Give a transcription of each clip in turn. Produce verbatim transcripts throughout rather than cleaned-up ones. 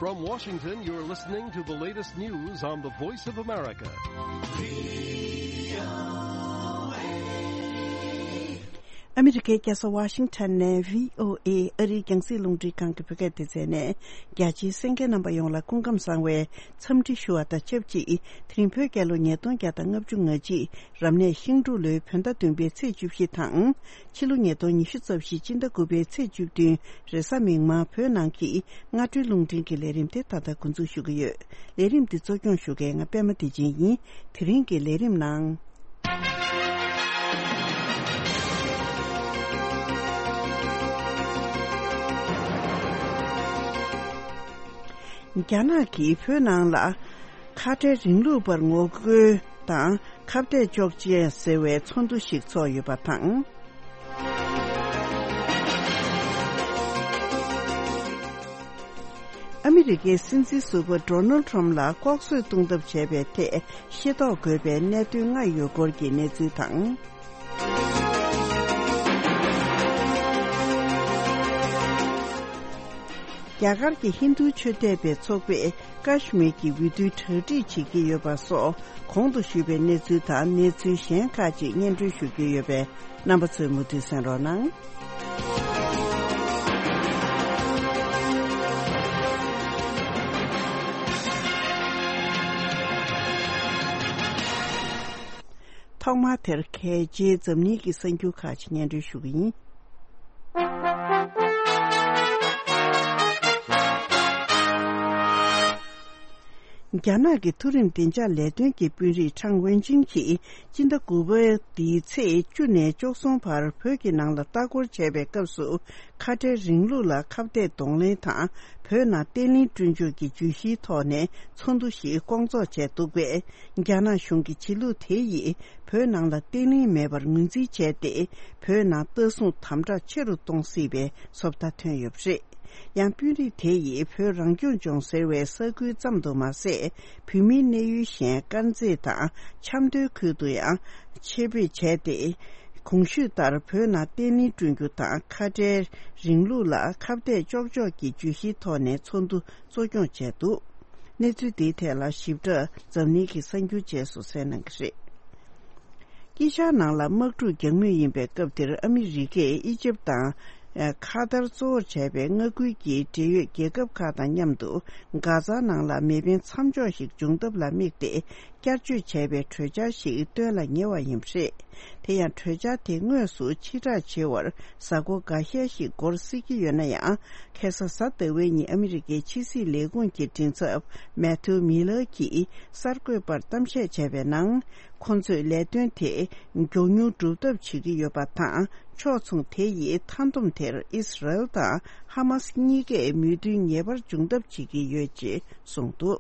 From Washington, you're listening to the latest news on the Voice of America. ཨ་མི་རི་ཀའི་རྒྱལ་ས་ཝ་ཤིང་ཊོན་ནས་བྷི་ཨོ་ཨེ་ཨ་རིའི་རྒྱང་སྲིང་རླུང་འཕྲིན་ཁང་གི་བོད་སྐད་སྡེ་ཚན་ནས། རྒྱ་ཆེའི་གསན་མཁན་རྣམ་པ་ཡོངས་ལ་སྐུ་ཁམས་བཟང་བའི་འཚམས་འདྲི་ཞུ་བ་དང་ཆབས་ཅིག་དེ་རིང་བོད་རྒྱལ་ལོ་ཉིས་སྟོང་བརྒྱ་དང་ལྔ་བཅུ་ང་གཅིག་རབ་གནས་ཤིང་འབྲུག་ལོའི་བོད་ཟླ་བདུན་པའི་ཚེས་བཅུ་བཞི་དང་། ཕྱི་ལོ་ཉིས་སྟོང་ཉི་ཤུ་རྩ་བཞི་སྤྱི་ཟླ་དགུ་པའི་ཚེས་བཅུ་བདུན་རེས་གཟའ་མིག་དམར་བོད་ནང་གི་སྔ་དྲོའི་རླུང་འཕྲིན་གྱི་ལས་རིམ་དེ་ད་ལྟ་འགོ་འཛུགས་ཞུ་གི་ཡོད། ལས་རིམ་འདི་གཙོ་སྐྱོང་ཞུ་མཁན་ང་པད་མ་བདེ་ཆེན་ཡིན། དེ་རིང་གི་ལས་རིམ་ནང་། རྒྱ་ནག་གིས་བོད་ནང་ལ་ཁ་བྲལ་རིང་ལུགས་པར་ངོ་རྒོལ་དང་ཁ་གཏད་གཅོག་ཅེས་ཟེར་བའི་ཚོགས་འདུ་ཞིག་ཚོགས་ཡོད་པ་དང་། ཨ་མི་རི་ཀའི་སྲིད་འཛིན་ཟུར་པ་ཌོ་ནལ་ཊམ་ལ་ལྐོག་གསོད་གཏོང་ཐབས་བྱས་པའི་ཐད་ཤེས་རྟོགས་དགོས་པའི་གནད་དོན་ལྔ་ཡོད་སྐོར་གྱི་གནས་ཚུལ་དང་། རྒྱ་གར་གྱི་ཧིན་རྡུ་ཆོས་དད་པའི་ཚོགས་པས་ཀ་ཤི་མིར་གྱི་འོས་བསྡུ་གྲ་སྒྲིག་བྱེད་ཀྱི་ཡོད་པ་སོགས་གོང་དུ་ཞུས་པའི་གནས་ཚུལ་དང་གནས་ཚུལ་གཞན་ཁག་ཅིག་སྙན་སྒྲོན་ཞུ་རྒྱུ་ཡོད་པས། རྣམ་པ་ཚོས་མུ་མཐུད་གསན་རོགས་གནང་། ཐོག་མར་དེར་གལ་ཆེའི་འཛམ་གླིང་གི་གསར་འགྱུར་ཁག་ཅིག་སྙན་སྒྲོན་ཞུ་གི་ཡིན། རྒྱ་ནག་གི་མཐོ་རིམ་བདེ་འཇགས་ལས་དོན་གྱི་དཔོན་རིགས་ཁྲང་ཝེ་ཅིན་གྱིས་སྤྱི་ཟླ་དགུ་པའི་འདིའི་ཚེས་བཅུ་ནས་བཅུ་གསུམ་བར་བོད་ཀྱི་ནང་ལ་ལྟ་སྐོར་བྱས་པའི་སྐབས་སུ། ཁ་བྲལ་རིང་ལུགས་ལ་ཁ་གཏད་གདོང་ལེན་དང་བོད་ནང་བརྟན་ལྷིང་བསྐྲུན་རྒྱུ་གྱི་བརྗོད་གཞིའི་ཐོག་ནས་ཚོགས་འདུ་ཞིག་བསྐོང་ཚོགས་བྱས་འདུག་པས། རྒྱ་ནག་གཞུང་གི་བྱེད་ལུགས་དེ་ཡིས་བོད་ནང་ལ་བརྟན་ལྷིང་མེད་པར་ངོས་འཛིན་བྱས་ཏེ། བོད་ནང་ལྟ་སྲུང་དམ་དྲག་ཆེ་རུ་གཏོང་སྲིད་པའི་བཟོ་ལྟ་ཐོན་ཡོད་པ་རེད། ཡང་དཔོན་རིགས་དེ་ཡིས་བོད་རང་སྐྱོང་ལྗོངས་ཟེར་བའི་ས་ཁུལ་ཙམ་དུ་མ་ཟད། བོད་མིའི་གནས་ཡུལ་གཞན་དཀར་མཛེས་དང་ཆབ་མདོའི་ཁུལ་དུ་ཡང་ཆེད་སྤེལ་བྱས་ཏེ། གོང་ཞུས་ལྟར་བོད་ནང་བརྟན་ལྷིང་བསྐྲུན་རྒྱུ་དང་ཁ་བྲལ་རིང་ལུགས་ལ་ཁ་གཏད་གཅོག་ཕྱོགས་ཀྱི་བརྗོད་གཞིའི་ཐོག་ནས་ཚོགས་འདུ་གཙོ་སྐྱོང་བྱས་འདུག་གནས་ཚུལ་འདིའི་ཐད་ལ་ཞིབ་ཕྲ་འཛམ་གླིང་གི་གསར་འགྱུར་རྗེས་སུ་གསན་གནང་གི་རེད། དཀྱིལ་ཤར་ནང་ལ་དམག་འཁྲུག་རྒྱག་མུས་ཡིན་པའི་སྐབས་དེར་ཨ་མི་རི་ཀས་ཨི་ཇིབ་དང་། ཨ། ཁ་ཏར་གཙོ་བོར་བྱས་པའི་མངའ་ཁུལ་གྱི་འབྲེལ་ཡོད་རྒྱལ་ཁབ་ཁག་དང་མཉམ་དུ་གྷ་ཛ་ནང་ལ་མེ་འཕེན་མཚམས་འཇོག་ཞིག་འབྱུང་ཐབས་ལ་དམིགས་ཏེ་བསྐྱར་བཅོས་བྱས་པའི་གྲོས་འཆར་ཞིག་བཏོན་ལ་ཉེ་བ་ཡིན་པ་རེད། དེ་ཡང་གྲོས་འཆར་དེ་དངོས་སུ་ཕྱིར་བསྒྲགས་བྱེད་པར་གཟའ་འཁོར་འགའ་ཤས་ཤིག་འགོར་སྲིད་ཀྱི་ཡོད་ན་ཡང་། ཁ་སང་གཟའ་ཟླ་བའི་ཉིན་ཨ་མི་རི་ཀའི་ཕྱི་སྲིད་ལས་ཁུངས་ཀྱི་མགྲིན་ཚབ་མེ་ཐིའུ་མི་ལར་གྱིས་གསར་འགོད་པར་གཏམ་བཤད་བྱས་པའི་ནང་། ཁོང་ཚོས་ལས་དོན་དེ་མགྱོགས་མྱུར་སྒྲུབ་ཐབས་བྱེད་ཀྱི་ཡོད་པ་དང་། ཕྱོགས་མཚུངས་དེ་ཡིས་མཐའ་སྡོམ་དེར་ཨིས་ར་ཨེལ་དང་ཧ་མ་སི་གཉིས་ཀས་མོས་མཐུན་ངེས་པར་འབྱུང་ཐབས་བྱེད་ཀྱི་ཡོད་ཅེས་གསུངས་འདུག་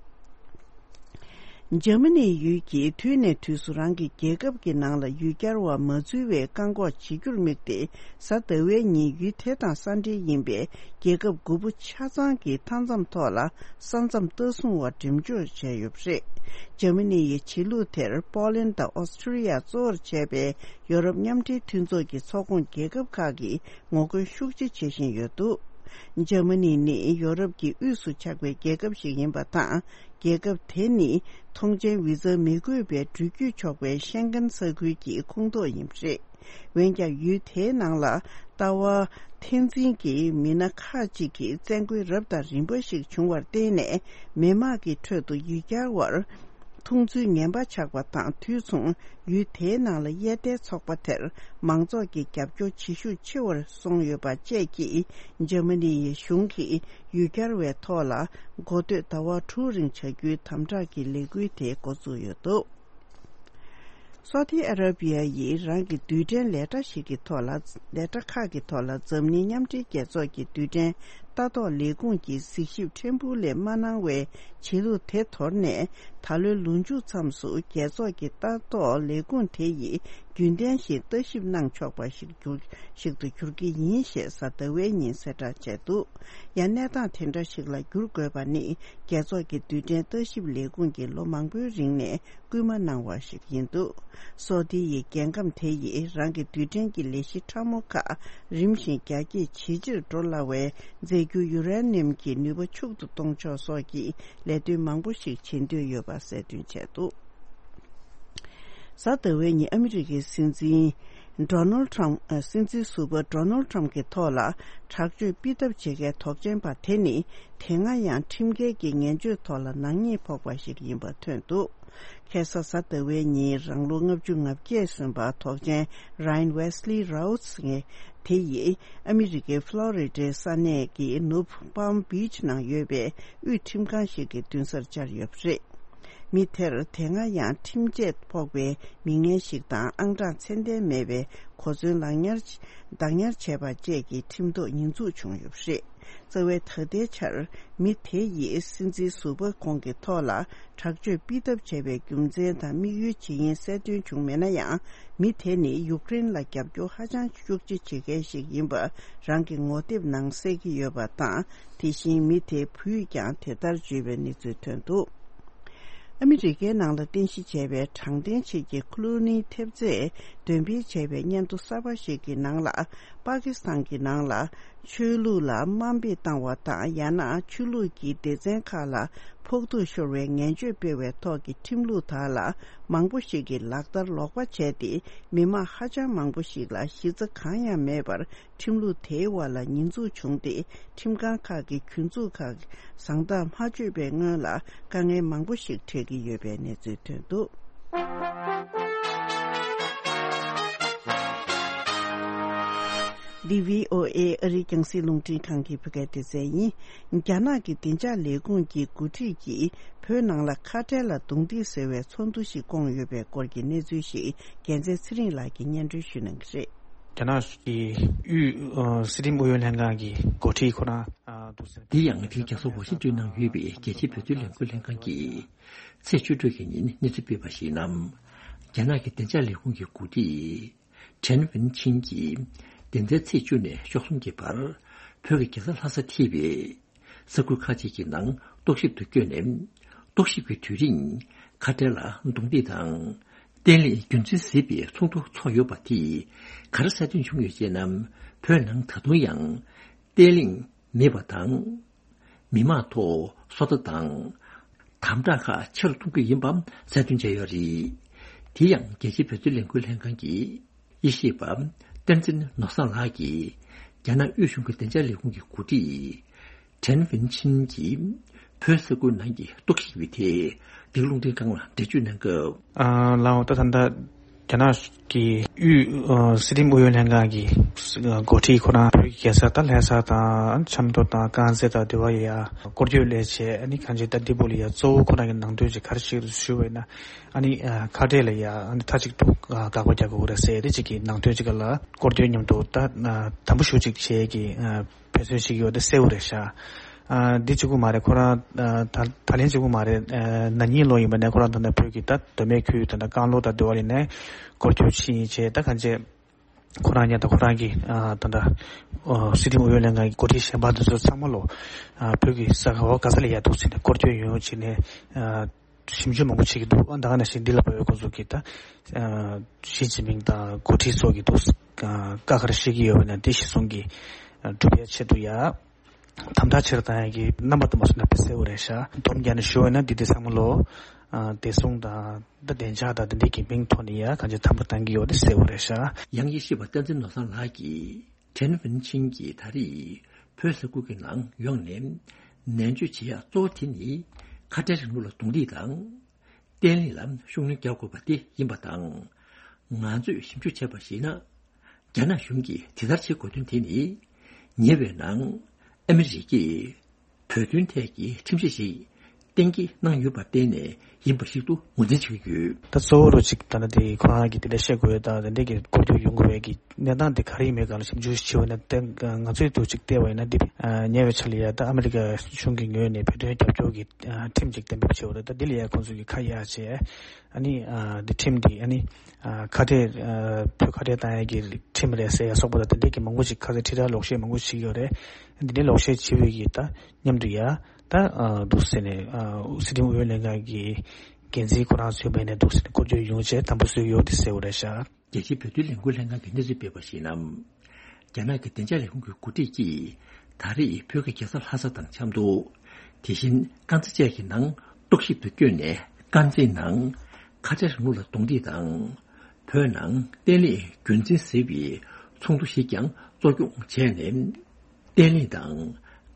འཇར་མ་ནིའི་ཡུལ་གྱིས་དུས་ནས་དུས་སུ་རང་གི་རྒྱལ་ཁབ་ཀྱི་ནང་ལ་ཡུལ་གྱར་བ་མ་འཛུལ་བའི་བཀག་འགོག་བྱེད་རྒྱུར་དམིགས་ཏེ། གཟའ་ཟླ་བའི་ཉིན་ཡུལ་དེ་དང་ས་འབྲེལ་ཡིན་པའི་རྒྱལ་ཁབ་དགུ་པོ་ཆ་ཚང་གི་མཐའ་མཚམས་ཐོག་ལ་ས་མཚམས་ལྟ་སྲུང་བ་འགྲེམས་འཇོག་བྱས་ཡོད་པ་རེད། འཇར་མ་ནི་ཡི་བྱེད་ལུགས་དེར་པོ་ལན་དང་ཨོ་སི་ཁྲི་ལི་ཡ་གཙོ་བོར་བྱས་པའི་ཡོ་རོབ་མཉམ་འབྲེལ་མཐུན་ཚོགས་ཀྱི་ཚོགས་ཁོངས་རྒྱལ་ཁབ་ཁག་གིས་ངོ་རྒོལ་ཤུགས་ཆེ་བྱེད་བཞིན་ཡོད་འདུག་འཇར་མ་ནི་ནི་ཡོ་རོབ་ཀྱི་དབུས་སུ་ཆགས་པའི་རྒྱལ་ཁབ་ཞིག་ཡིན་པ་དང་། རྒྱལ་ཁབ་དེ་ནི་ཐོངས་མཆན་བི་ཛ་མི་དགོས་པའི་འགྲུལ་སྐྱོད་ཆོག་པའི་ཤེན་ཀེན་ས་ཁུལ་གྱི་ཁོངས་གཏོགས་ཡིན་པ་རེད། འོན་ཀྱང་ཡུལ་དེའི་ནང་ལ་ལྟ་བ་འཐེན་འཛིན་གྱི་མི་སྣ་ཁག་ཅིག་གིས་བཙན་རྒོལ་རབ་དང་རིམ་པ་ཞིག་བྱུང་བར་བརྟེན་ནས། མི་དམངས་ཀྱི་ཁྲོད་དུ་ཡུལ་གྱར་བར་མཐོང་ཚུལ་ངན་པ་ཆགས་པ་དང་། དུས་མཚུངས་ཡུལ་དེའི་ནང་ལ་དབྱེ་ཐལ་ཚོགས་པ་དེར་མང་ཚོགས་ཀྱི་རྒྱབ་སྐྱོར་བྱེད་ཤུགས་ཆེ་བར་སོང་ཡོད་པ་བཅས་ཀྱིས། འཇར་མ་ནི་ཡི་གཞུང་གིས་ཡུལ་གྱར་བའི་ཐོག་ལ་འགོ་སྟོད་ཟླ་བ་དྲུག་རིང་བྱ་རྒྱུའི་དམ་དྲག་གི་ལས་འགུལ་དེ་འགོ་བཙུགས་ཡོད་འདུག་སོ་ཏི་ཨ་ར་བི་ཡ་ཡིས་རང་གི་རྡུལ་ཕྲན་ལས་གྲྭ་ཞིག་གི་ཐོག་ལ། ལས་གྲྭ་ཁག་གི་ཐོག་ལ་འཛམ་གླིང་མཉམ་འབྲེལ་རྒྱལ་ཚོགས་ཀྱི་རྡུལ་ཕྲན་ལྟ་རྟོག་ལས་ཁུངས་ཀྱི་གཟིགས་ཞིབ་ཕྲན་བུ་ལས་མ་གནང་བའི་བྱེད་ལུགས་དེ་དོར་ནས། ད་ལོའི་ལོ་མཇུག་མཚམས་སུ་རྒྱལ་ཚོགས་ཀྱི་ལྟ་རྟོག་ལས་ཁུངས་དེ་ཡིས་རྒྱུན་ལྡན་བཞིན་ལྟ་ཞིབ་གནང་ཆོག་པ་ཞིག་འགྱུར་ཞིག་ཏུ་འགྱུར་གྱི་ཡིན་ཞེས་གཟའ་ཟླ་བའི་ཉིན་གསལ་བསྒྲགས་བྱས་འདུག་ཡང་གནས་སྟངས་དེ་འདྲ་ཞིག་ལ་འགྱུར་དགོས་པ་ནི། རྒྱལ་ཚོགས་ཀྱི་རྡུལ་ཕྲན་ལྟ་ཞིབ་ལས་ཁུངས་ཀྱིས་ལོ་མང་པོའི་རིང་ནས་སྐུལ་མ་གནང་བ་ཞིག་ཡིན་འདུག་སོ་ཏི་ཡི་རྒྱལ་ཁམས་དེ་ཡིས་རང་གི་རྡུལ་ཕྲན་གྱི་ལས་གཞི་ཕྲ་མོ་ཁག་རིམ་བཞིན་རྒྱ་སྐྱེད་ཇེ་ཆེར་འགྲོ་སླ་བའི་མཛད་ རྒྱུ་ཡུ་རེ་ནི་ཡམ་གྱི་ནུས་པ་ཕྱུག་ཏུ་གཏོང་ཕྱོགས་སོགས་ཀྱི་ལས་དོན་མང་པོ་ཞིག་བྱེད་འདོད་ཡོད་པ་གསལ་སྟོན་བྱས་འདུག་གཟའ་ཟླ་བའི་ཉིན་ཨ་མི་རི་ཀའི་སྲིད་འཛིན་ཌོ་ནལ་ཊམ་ཨ། སྲིད་འཛིན་ཟུར་པ་ཌོ་ནལ་ཊམ་གྱི་ཐོག་ལ་དྲག་སྤྱོད་སྤེལ་ཐབས་བྱེད་མཁན་དོགས་ཅན་པ་དེ་ནི་དེ་སྔ་ཡང་ཁྲིམས་འགལ་གྱི་ངན་སྤྱོད་ཐོག་ལ་ནག་ཉེས་ཕོག་པ་ཞིག་ཡིན་པ་ཐོན་འདུག་ཁ་སང་གཟའ་ཟླ་བའི་ཉིན་རང་ལོ་ལྔ་བཅུ་ང་བརྒྱད་སོན་པ་དོགས་ཅན་རཱ་ཡན་ཝེ་སི་ལི་རའུ་ཏི་ངེ་དེ་ཡིས་ཨ་མི་རི་ཀའི་ཕློ་རི་ཌའི་ས་གནས་ཀྱི་ནུབ་པཱམ་བིཆ་ནང་ཡོད་པའི་དབུས་ཁྲིམས་ཁང་ཞིག་གི་མདུན་སར་བཅར་ཡོད་པ་རེད། མི་དེར་དེ་སྔ་ཡང་ཁྲིམས་ཆད་ཕོག་པའི་མི་ངན་ཞིག་དང་ཨང་གྲངས་ཚད་ལྡན་མེད་པའི་གོ་མཚོན་ལག་ཉར་བདག་ཉར་བྱས་པ་བཅས་ཀྱི་ཁྲིམས་ཐོག་ཉེས་འཛུགས་བྱུང་ཡོད་པ་རེད། རྩ་བའི་ད་ལྟའི་ཆར་མི་དེ་ཡིས་སྲིད་འཛིན་ཟུར་པ་ཁོང་གི་ཐོག་ལ་དྲག་སྤྱོད་སྤེལ་ཐབས་བྱས་པའི་རྒྱུ་མཚན་དང་དམིགས་ཡུལ་ཇི་ཡིན་གསལ་སྟོན་བྱུང་མེད་ན་ཡང་། མི་དེ་ནི་ཡུཀ་རེན་ལ་རྒྱབ་སྐྱོར་ཧ་ཅང་ཤུགས་ཆེ་བྱེད་མཁན་ཞིག་ཡིན་པ་རང་གི་ངོ་དེབ་ནང་གསལ་གྱི་ཡོད་པ་དང་། དེ་བཞིན་མི་དེའི་བུས་ཀྱང་དེ་ལྟར་བརྗོད་པའི་གནས་ཚུལ་ཐོན་འདུག་ཨ་མི་རི་ཀའི་ནང་ལ་རྟེན་གཞི་བྱས་པའི་དྲང་བདེན་ཆེད་ཀྱི་ཁུ་ལུ་ནིའི་ཐེབས་རྩས་འདོན་སྤེལ་བྱས་པའི་སྙན་ཐོ་གསར་པ་ཞིག་གི་ནང་ལ། པ་ཀི་སི་ཐན་གྱི་ནང་ལ་ཆོས་ལུགས་ལ་དམའ་འབེབས་བཏང་བ་དང་། ཡང་ན་ཆོས་ལུགས་ཀྱི་སྡེ་ཚན་ཁག་ལ་ཕོག་ཐུག་ཤོར་བའི་ངན་སྤྱོད་སྤེལ་བའི་ཐོག་གི་ཁྲིམས་ལུགས་དག་ལ་མང་པོ་ཞིག་གིས་ལག་བསྟར་ལོག་པ་བྱས་ཏེ། མི་མང་ཧ་ཅང་མང་པོ་ཞིག་ལ་གཞི་རྩ་གང་ཡང་མེད་པར། ཁྲིམས་ལུགས་དེའི་དབར་ལ་ཉེས་འཛུགས་བྱུང་སྟེ། ཁྲིམས་ཁང་ཁག་གིས་གྱོད་འཛུགས་ཁག་བཟང་ཐག་མ་ཆོད་པའི་སྔོན་ལ་དཀའ་ངལ་མང་པོ་ཞིག་འཕྲད་ཀྱི་ཡོད་པའི་གནས་ཚུལ་ཐོན་འདུག་འདི་བྷི་ཨོ་ཨེ་ཨ་རིའི་རྒྱང་སྲིང་རླུང་འཕྲིན་ཁང་གི་བོད་སྐད་སྡེ་ཚན་ཡིན། རྒྱ་ནག་གི་བདེ་འཇགས་ལས་ཁུངས་ཀྱི་འགོ་ཁྲིད་ཀྱིས་བོད་ནང་ལ་ཁ་བྲལ་ལ་རྡུང་རྡེག་ཟེར་བའི་ཚོགས་འདུ་ཞིག་བསྐོངས་ཡོད་པའི་སྐོར་གྱི་གནས་ཚུལ་ཞིག་རྒྱལ་མཚན་ཚེ་རིང་ལགས་ཀྱིས་སྙན་སྒྲོན་ཞུ་གནང་གི་རེད། རྒྱ་ནག་གི་དབུས་ཨ་སྲིད་ཁྲིམས་ཨུ་ཡོན་ལྷན་ཁང་གི་འགོ་ཁྲིད་ཁོ་རང་ཨ་འདུག་ཟེར། འདི་ཡང་དེ་རིང་རྒྱལ་ས་ཝ་ཤིང་ཏོན་ནང་ཡོད་པའི་རྒྱལ་སྤྱིའི་བོད་དོན་ལས་འགུལ་ལྷན་ཁང་གིས་ཚེས་བཅུ་དྲུག་གི་ཉིན་གནས་ཚུལ་སྤེལ་བ་ཞིག་ནང་། རྒྱ་ནག་གི་བདེ་འཇགས་ལས་ཁུངས་ཀྱི་འགོ་ཁྲིད་ཁྲེན་ཝིན་ཆིན་གྱིས་འདི་ཟླའི་ཚེས་བཅུ་ནས་བཅུ་གསུམ་གྱི་བར་བོད་ཀྱི་རྒྱལ་ས་ལྷ་ས་ཐེ་བའི་ས་ཁུལ་ཁག་ཅིག་གི་ནང་རྟོག་ཞིབ་ཏུ་བསྐྱོད་ནས། རྟོག་ཞིབ་ཀྱི་དུས་རིང་ཁ་བྲལ་ལ་རྡུང་རྡེག་དང་། བརྟན་ལྷིང་རྒྱུན་འཛིན་བྱེད་པའི་ཚོགས་འདུ་འཚོགས་ཡོད་པ་དེས་ག་རེ་གསལ་སྟོན་བྱུང་ཡོད་ཅེ་ན། བོད་ནང་ད་དུང་ཡང་བརྟན་ལྷིང་མེད་པ་དང་། མི་མང་ཐོག་སོ་ལྟ་དང་། དམ་དྲག་ཁག་ཆེ་རུ་གཏོང་རྒྱུ་ཡིན་པའང་གསལ་སྟོན་བྱས་ཡོད་རེད། དེ་ཡང་རྒྱལ་སྤྱིའི་བོད་དོན་ལས་འགུལ་ལྷན་ཁང་གི་དབྱེ་ཞིབ་པ་བསྟན་འཛིན་ནོར་བཟང་ལགས་ཀྱིས་རྒྱ་ནག་དབུས་གཞུང་གི་བདེ་འཇགས་ལས་ཁུངས་ཀྱི་འགོ་ཁྲིད་ཁྲེན་ཝིན་ཆིན་གྱིས་བོད་ས་ཁུལ་ནང་གི་རྟོག་ཞིབ་ཀྱི་ཐད་འདི་ག་རླུང་འཕྲིན་ཁང་ལ་འགྲེལ་བརྗོད་གནང་སྐབས། ཨ་ལའོ་ད་ད་ལྟ་རྒྱ་ནག་གི་དབུས་ཨ་སྲིད་ཁྲིམས་ཨུ་ཡོན་ལྷན་ཁང་གི་འགོ་ཁྲིད་ཁོ་རང་བོད་ཀྱི་རྒྱལ་ས་ད་ལྷ་ས་དང་ཆབ་མདོ་དང་དཀར་མཛེས་དང་དེ་བ་ཡ་སྐོར་སྐྱོད་སླེབས་བྱས། ཨ་ནི་གང་ཅི་ད་འདི་བོ་ལ་ཡ་གཙོ་བོ་ཁོ་རང་གི་ནང་དོན་ཅིག་ག་རེ་ཞིག་རེད་ཞུ་བས་ན། ཨ་ནི་ཨ་ཁ་བྲལ་ལ་ཡ་ཨ་ནི་མཐའ་གཅིག་ཏུ་ཨ་དགག་པ་རྒྱག་དགོས་རེད་ཟེར་ཡ་དེ་ཅིག་གི་ནང་དོན་ཅིག་ལ་སྐོར་སྐྱོད་མཉམ་དུ་ད་ཨ་དམ་པོ་ཞུ་ཅིག་བྱེད་ཀྱི་ཨ་དཔེ་མཚོན་ཞིག་ཡོད་དེ་གསལ་བོ་རེད་ཤག་ཨ་འདི་གཅིག་པུ་མ་རེད། ཁོ་རང་ཨ་ད་ད་ལན་གཅིག་པུ་མ་རེད། ཨ་ན་ནིང་ལོ་ཡིན་པ་ནས་ཁོ་རང་ད་ལྟ་བོད་ཀྱི་ད་མདོ་སྨད་ཁུལ་ད་ལྟ་རྐང་ལོ་དང་དེ་བ་ལ་ནས་སྐོར་སྐྱོད་ཕྱིན་བྱས། ད་གང་ཅི་ཁོ་རང་ཉིད་དང་ཁོ་རང་གི་ཨ་ད་ལྟ་ཨ་སྲིད་ཁྲིམས་ཨུ་ཡོན་ལྷན་ཁང་གི་འགོ་ཁྲིད་གཞན་པ་དེ་ཚོ་ཚང་མ་ལོ་ཨ་བོད་ཀྱི་ས་ཁ་བ་ག་ས་ལ་ཡ་འདུག་ཟེར་ནས་སྐོར་སྐྱོད་ཡོང་ཡོང་བྱས་ནས་ཨ་ཞིབ་འཇུག་མང་པོ་བྱེད་ཀྱི་འདུག་ཨ་ད་ག་ནང་བཞིན་འདི་ལ་བབས་པའི་ཁོང་ཚོ་གིས་ད་ཨ་ཞི་ཅིན་ཕིང་དང་འགོ་ཁྲིད་ཚོ་གིས་འདུག་ཨ་བཀའ་ག་རེ་བཤད་ཀྱི་ཡོད་པ་ན་དེ་གཞིར་བཟུང་གིས་ཨ་སྒྲུབ་ཡ་ཆེད་དུ་ཡ། དམ་དྲག་ཆེ་རུ་བཏང་ཡག་གི་རྣམ་པ་དུ་མ་སོང་ན་དཔེ་གསལ་བོ་རེད་ཤག་སྡོམ་རྒྱག་ནས་ཞུ་བ་ན་འདི་དེ་ཚང་མ་ལོ། ཨ་བདེ་སྲུང་དང་ད་བདེ་འཇགས་དང་དེ་འདྲའི་གི་མིང་ཐོག་ནས་ཡ་གང་ཅི་དམ་དྲག་བཏང་གི་ཡོད་དེ་གསལ་བོ་རེད་ཤག་ཡང་དབྱེ་ཞིབ་པ་བསྟན་འཛིན་ནོར་བཟང་ལགས་ཀྱིས་ཁྲེན་ཝིན་ཆིན་གྱིས་ད་རེས་བོད་ས་ཁུལ་གྱི་ནང་ཡོང་ནས་ནན་བརྗོད་བྱེད་ཡག་གཙོ་བོ་དེ་ནི་ཁ་བྲལ་རིང་ལུགས་ལ་རྡུང་རྡེག་དང་། བརྟན་ལྷིང་ལ་ཤུགས་སྣོན་རྒྱག་དགོས་པ་དེ་ཡིན་པ་དང་། ང་ཚོས་ཞིབ་འཇུག་བྱས་པར་གཞིགས་ན། རྒྱ་ནག་གཞུང་གིས་དེ་ལྟར་བྱེད་དགོས་དོན་དེ་ནི། ཉེ་བའི་ནང་ཨ་མི་རི་ཀས་བོད་དོན་ཐད་ཀྱི་ཁྲིམས་གཞི་ཞིག་གཏན་འཁེལ་གནང་ཡོད་པར་བརྟེན་ནས་ཡིན་པར་ཞིབ་ཏུ་ངོས་འཛིན་བྱེད་ཀྱི་ཡོད། ད་གཙོ་བོ་རུ་གཅིག་ད་ལྟ་དེ་ཁོ་རང་གིས་དེ་འདྲ་བཤད་དགོས་ཡོད་དང་། དེ་འདྲ་གི་སྐོར་སྐྱོད་ཡོང་དགོས་པའི་གི་གནས་སྟངས་དེ་ག་རེ་ཡིན་མིན་སྒང་ལ་ཞིབ་འཇུག་བྱས་པ་ན། དེ་ང་ཚོས་འདུག་ཅིག་བལྟས་པ་ཡིན་ན་འདི་ཉེ་བའི་ཆར་ལ་ཡ་ད་ཨ་མི་རི་ཀ་གཞུང་གི་ངོས་ནས་བོད་དོན་རྒྱབ་སྐྱོར་གྱི་ཁྲིམས་ཅིག་གཏན་འབེབས་བྱས་པ་རེད། ད་འདི་ལ་ཡ་ཁོང་ཚོ་གིས་ཁ་གཡར་བྱས། ཨ་ནི་ཨ་འདི་ཁྲིམས་འདི་ཨ་ནི་ཨ་ཁ་བྲལ་ཨ་བོད་ཁ་བྲལ་བཏང་ཡས་ཀྱི་ཁྲིམས་རེད་ཟེར་ཡ་སོགས་པ་དང་དེ་འདྲས་ཀྱི་མང་པོ་ཞིག་ཁ་སང་ཁྲིད་ར་ལོག་བཤད་མང་པོ་ཞིག་ཡོད་རེད། འདི་འདྲའི་ལོག་བཤད་བྱེད་པའི་གི་ད་མཉམ་དུ་ཡ་ད་ཨ་འདུག་ཟེར་ནས་ཨ་སྲིད་ཁྲིམས་ཨུ་ཡོན་ལྷན་ཁང་གི་འགན་འཛིན་ཁོ་རང་ཚོའི་མེད་ནས་འདུག་ཟེར་ནས་སྐོར་སྐྱོད་ཡོང་བྱས་དམ་པོ་བཟོས་ཡོད་དེ་གསལ་བོ་རེད་ཤག་རྒྱལ་སྤྱིའི་བོད་དོན་ལས་འགུལ་ལྷན་ཁང་གིས་གནས་ཚུལ་སྤེལ་བར་གཞིགས་ན། རྒྱ་ནག་གི་བདེ་འཇགས་ལས་ཁུངས་ཀྱི་འགོ་ཁྲིད་ཀྱིས་ ད་རེས་བོད་ཀྱི་རྒྱལ་ས་ལྷ་ས་དང་འཆམ་འདུག་དེ་བཞིན་དཀར་མཛེས་བཅས་ཀྱི་ནང་རྟོག་ཞིབ་ཏུ་བསྐྱོད་ནས། དཀར་མཛེས་ནང་ཁ་བྲལ་རིང་ལུགས་ལ་གདོང་ཐིག་དང་། བོད་ནང་བརྟན་ལྷིང་རྒྱུན་འཛིན་ཟེར་བའི་ཚོགས་འདུ་ཞིག་ཀྱང་གཙོ་སྐྱོང་བྱས་ནས། བརྟན་ལྷིང་དང་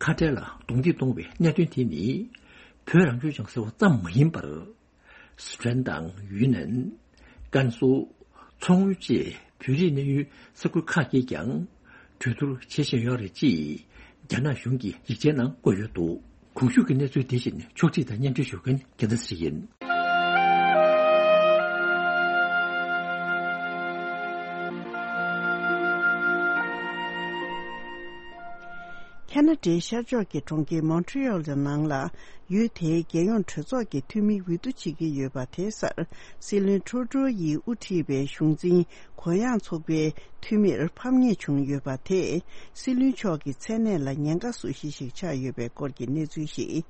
ཁ་བྲལ་ལ་གདོང་ཐིག་གཏོང་བའི་གནད་དོན་དེ་ནི། བོད་རང་སྐྱོང་ལྗོངས་ཟེར་བ་ཙམ་མ་ཡིན་པར། སི་ཁྲོན་དང་ཡུན་ནན། ཀན་སུའུ། མཚོ་སྔོན་བཅས་བོད་རིགས་གནས་ཡུལ་ས་ཁུལ་ཁག་གིས་ཀྱང་གྲོས་བསྡུར་བྱེད་བཞིན་ཡོད་རེད། ཅེས་རྒྱ་ནག་གཞུང་གི་ཡིག་ཆའི་ནང་བཀོད་ཡོད་འདུག་གོང་ཞུས་ཀྱི་གནས་ཚུལ་དེ་བཞིན་ཕྱོགས་སྒྲིག་དང་སྙན་སྒྲོན་ཞུ་མཁན་རྒྱལ་མཚན་ཚེ་རིང་ཡིན། ཁ་ན་ཌའི་ཤར་ཕྱོགས་ཀྱི་གྲོང་ཁྱེར་མོན་ཊི་ཡོལ་གྱི་ནང་ལ། ཡུལ་དེའི་རྒྱལ་ཡོངས་གྲོས་ཚོགས་ཀྱི་འཐུས་མི་འོས་བསྡུ་བྱེད་ཀྱི་ཡོད་པ་དེའི་སར། སྲིད་བློན་ཁྲུ་ཌོ་ཡིས་དབུ་ཁྲིད་པའི་གཞུང་འཛིན་གུ་ཡངས་ཚོགས་པའི་འཐུས་མིར་ཕམ་ཉེས་བྱུང་ཡོད་པ་དེས། སྲིད་བློན་མཆོག་གི་མཚན་གནས་ལ་ཉེན་ཁ་བཟོ་གཞི་ཞིག་ཆགས་ཡོད་པའི་སྐོར་གྱི་གནས་ཚུལ་ཞིག་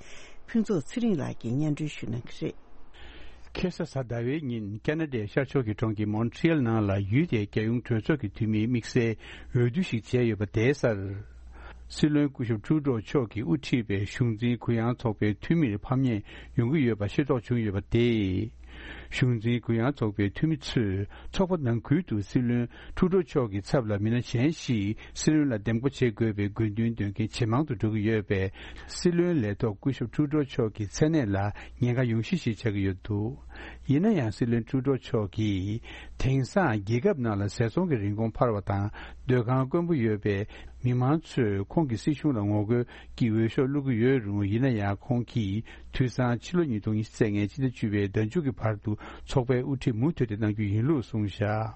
ཕུན་ཚོགས་ཚེ་རིང་ལགས་ཀྱིས་སྙན་སྒྲོན་ཞུ་གནང་གི་རེད། ཁ་སང་གཟའ་ཟླ་བའི་ཉིན་ཁ་ན་ཌའི་ཤར་ཕྱོགས་ཀྱི་གྲོང་ཁྱེར་མོན་ཊི་ཡལ་ནང་ལ་ཡུལ་དེའི་རྒྱལ་ཡོངས་གྲོས་ཚོགས་ཀྱི་འཐུས་མིའི་དམིགས་བསལ་འོས་བསྡུ་ཞིག་བྱས་ཡོད་པ་དེའི་སར། སྲིད་བློན་སྐུ་ཞབས་ཁྲུ་ཌོ་མཆོག་གིས་དབུ་ཁྲིད་པའི་གཞུང་འཛིན་གུ་ཡངས་ཚོགས་པའི་འཐུས་མིར་ཕམ་ཉེས་ཡོང་གི་ཡོད་པ་ཤེས་རྟོགས་བྱུང་ཡོད་པ་དེས། གཞུང་འཛིན་གུ་ཡངས་ཚོགས་པའི་འཐུས་མི་ཚོས་ཚོགས་པ་ནང་ཁུལ་དུ་སྲིད་བློན་ཁྲུ་ཌོ་མཆོག་གི་ཚབ་ལ་མི་སྣ་གཞན་ཞིག་སྲིད་བློན་ལ་འདེམས་བསྐོ་བྱེད་དགོས་པའི་དགོས་འདུན་འདོན་མཁན་ཇེ་མང་དུ་འགྲོ་གི་ཡོད་པས། སྲིད་བློན་ལས་ཐོག་སྐུ་ཞབས་ཁྲུ་ཌོ་མཆོག་གི་མཚན་གནས་ལ་ཉེན་ཁ་ཡོང་གཞི་ཞིག་ཆགས་ཀྱི་ཡོད་འདུག་ཡིན་ན་ཡང་། སྲིད་བློན་ཁྲུ་ཌོ་མཆོག་གིས་དེང་སང་རྒྱལ་ཁབ་ནང་ལ་ཟས་ཚོང་གི་རིན་གོང་འཕར་བ་དང་། སྡོད་ཁང་དཀོན་པོ་ཡོད་པས། མི་མང་ཚོས་ཁོང་གི་སྲིད་གཞུང་ལ་ངོ་རྒོལ་གྱི་འོས་ཤོག་བླུག་གི་ཡོད་རུང་། ཡིན་ན་ཡང་། ཁོང་གིས་དུས་སང་ཕྱི་ལོ་ཉིས་སྟོང་ཉི་ཤུ་རྩ་ལྔའི་སྤྱི་ཟླ་བཅུ་པའི་ཟླ་མཇུག་གི་བར་དུ་ཚོགས་པའི་དབུ་ཁྲིད་མུ་མཐུད་དེ་གནང་རྒྱུ་ཡིན་ལུགས་གསུངས་བཞག་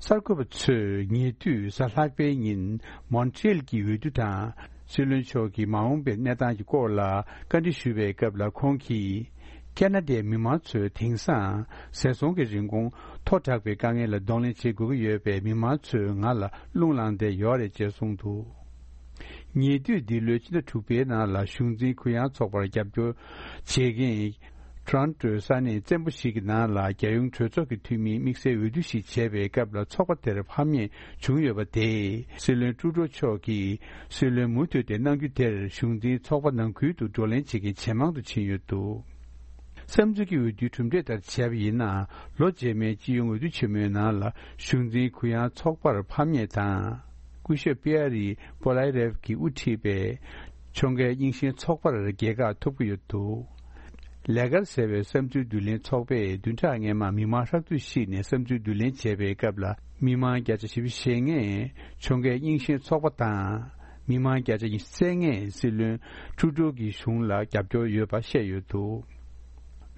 གསར་འགོད་པ་ཚོས་ཉེ་དུས་གཟའ་ལྷག་པའི་ཉིན་མོན་ཊི་ཡལ་གྱི་འོས་བསྡུ་དང་། སྲིད་བློན་མཆོག་གི་མ་འོངས་པའི་གནས་སྟངས་ཀྱི་སྐོར་ལ་བཀའ་འདྲི་ཞུས་པའི་སྐབས་ལ། ཁོང་གིས་ཁ་ན་ཌའི་མི་མང་ཚོས་དེང་སང་ཟས་ཚོང་གི་རིན་གོང་མཐོ་དྲགས་པའི་དཀའ་ངལ་ལ་གདོང་ལེན་བྱེད་དགོས་ཀྱི་ཡོད་པས། མི་མང་ཚོས་ང་ལ་རླུང་ལངས་བསྡད་ཡོད་རེད་ཅེས་གསུངས་འདུག་ཉེ་དུས་འདི་ལོའི་ཕྱི་ཟླ་དྲུག་པའི་ནང་ལ་གཞུང་འཛིན་གུ་ཡངས་ཚོགས་པར་རྒྱབ་སྐྱོར་བྱེད་མཁན། ཊོ་རོན་ཊོའི་ས་གནས་བཙན་པོ་ཞིག་གི་ནང་ལ་རྒྱལ་ཡོངས་གྲོས་ཚོགས་ཀྱི་འཐུས་མིའི་དམིགས་བསལ་འོས་བསྡུ་ཞིག་བྱས་པའི་སྐབས་ལ། ཚོགས་པ་དེར་ཕམ་ཉེས་བྱུང་ཡོད་པ་དེས། སྲིད་བློན་ཁྲུ་ཌོ་མཆོག་གིས་སྲིད་བློན་མུ་མཐུད་དེ་གནང་རྒྱུ་དེར། གཞུང་འཛིན་ཚོགས་པ་ནང་ཁུལ་དུ་བགྲོ་གླེང་བྱེད་མཁན་ཇེ་མང་དུ་ཕྱིན་ཡོད་འདུག་བསམ་ཚུལ་གྱི་འོས་བསྡུའི་གྲུབ་འབྲས་ལྟར་བྱས་པ་ཡིན་ན། ལོ་རྗེས་མའི་སྤྱི་ཡོངས་འོས་བསྡུ་ཆེན་མོའི་ནང་ལ་གཞུང་འཛིན་གུ་ཡངས་ཚོགས་པར་ཕམ་ཉེས་དང་། སྐུ་ཞབས་པི་ཨ་རི་པོ་ལའི་རེབ་ཀྱིས་དབུ་ཁྲིད་པའི་ཁྱོང་གའི་རྙིང་ཞེན་ཚོགས་པར་རྒྱལ་ཁ་ཐོབ་ཀྱི་ཡོད་འདུག་ལས་ཀར་ཟེར་བའི་བསམ་ཚུལ་བསྡུ་ལེན་ཚོགས་པས་བདུན་ཕྲག་སྔོན་མ་མི་མང་ཧྲག་བསྡུས་ཤིག་ནས་བསམ་ཚུལ་བསྡུ་ལེན་བྱས་པའི་སྐབས་ལ། མི་མང་བརྒྱ་ཆ་བཞི་བཅུ་ཞེ་ལྔས་ཁྱོང་གའི་རྙིང་ཞེན་ཚོགས་པ་དང་། མི་མང་བརྒྱ་ཆ་ཉི་ཤུ་རྩ་ལྔས་སྲིད་བློན་ཁྲུ་ཌོ་གི་གཞུང་ལ་རྒྱབ་སྐྱོར་ཡོད་པ་བཤད་ཡོད་འདུག་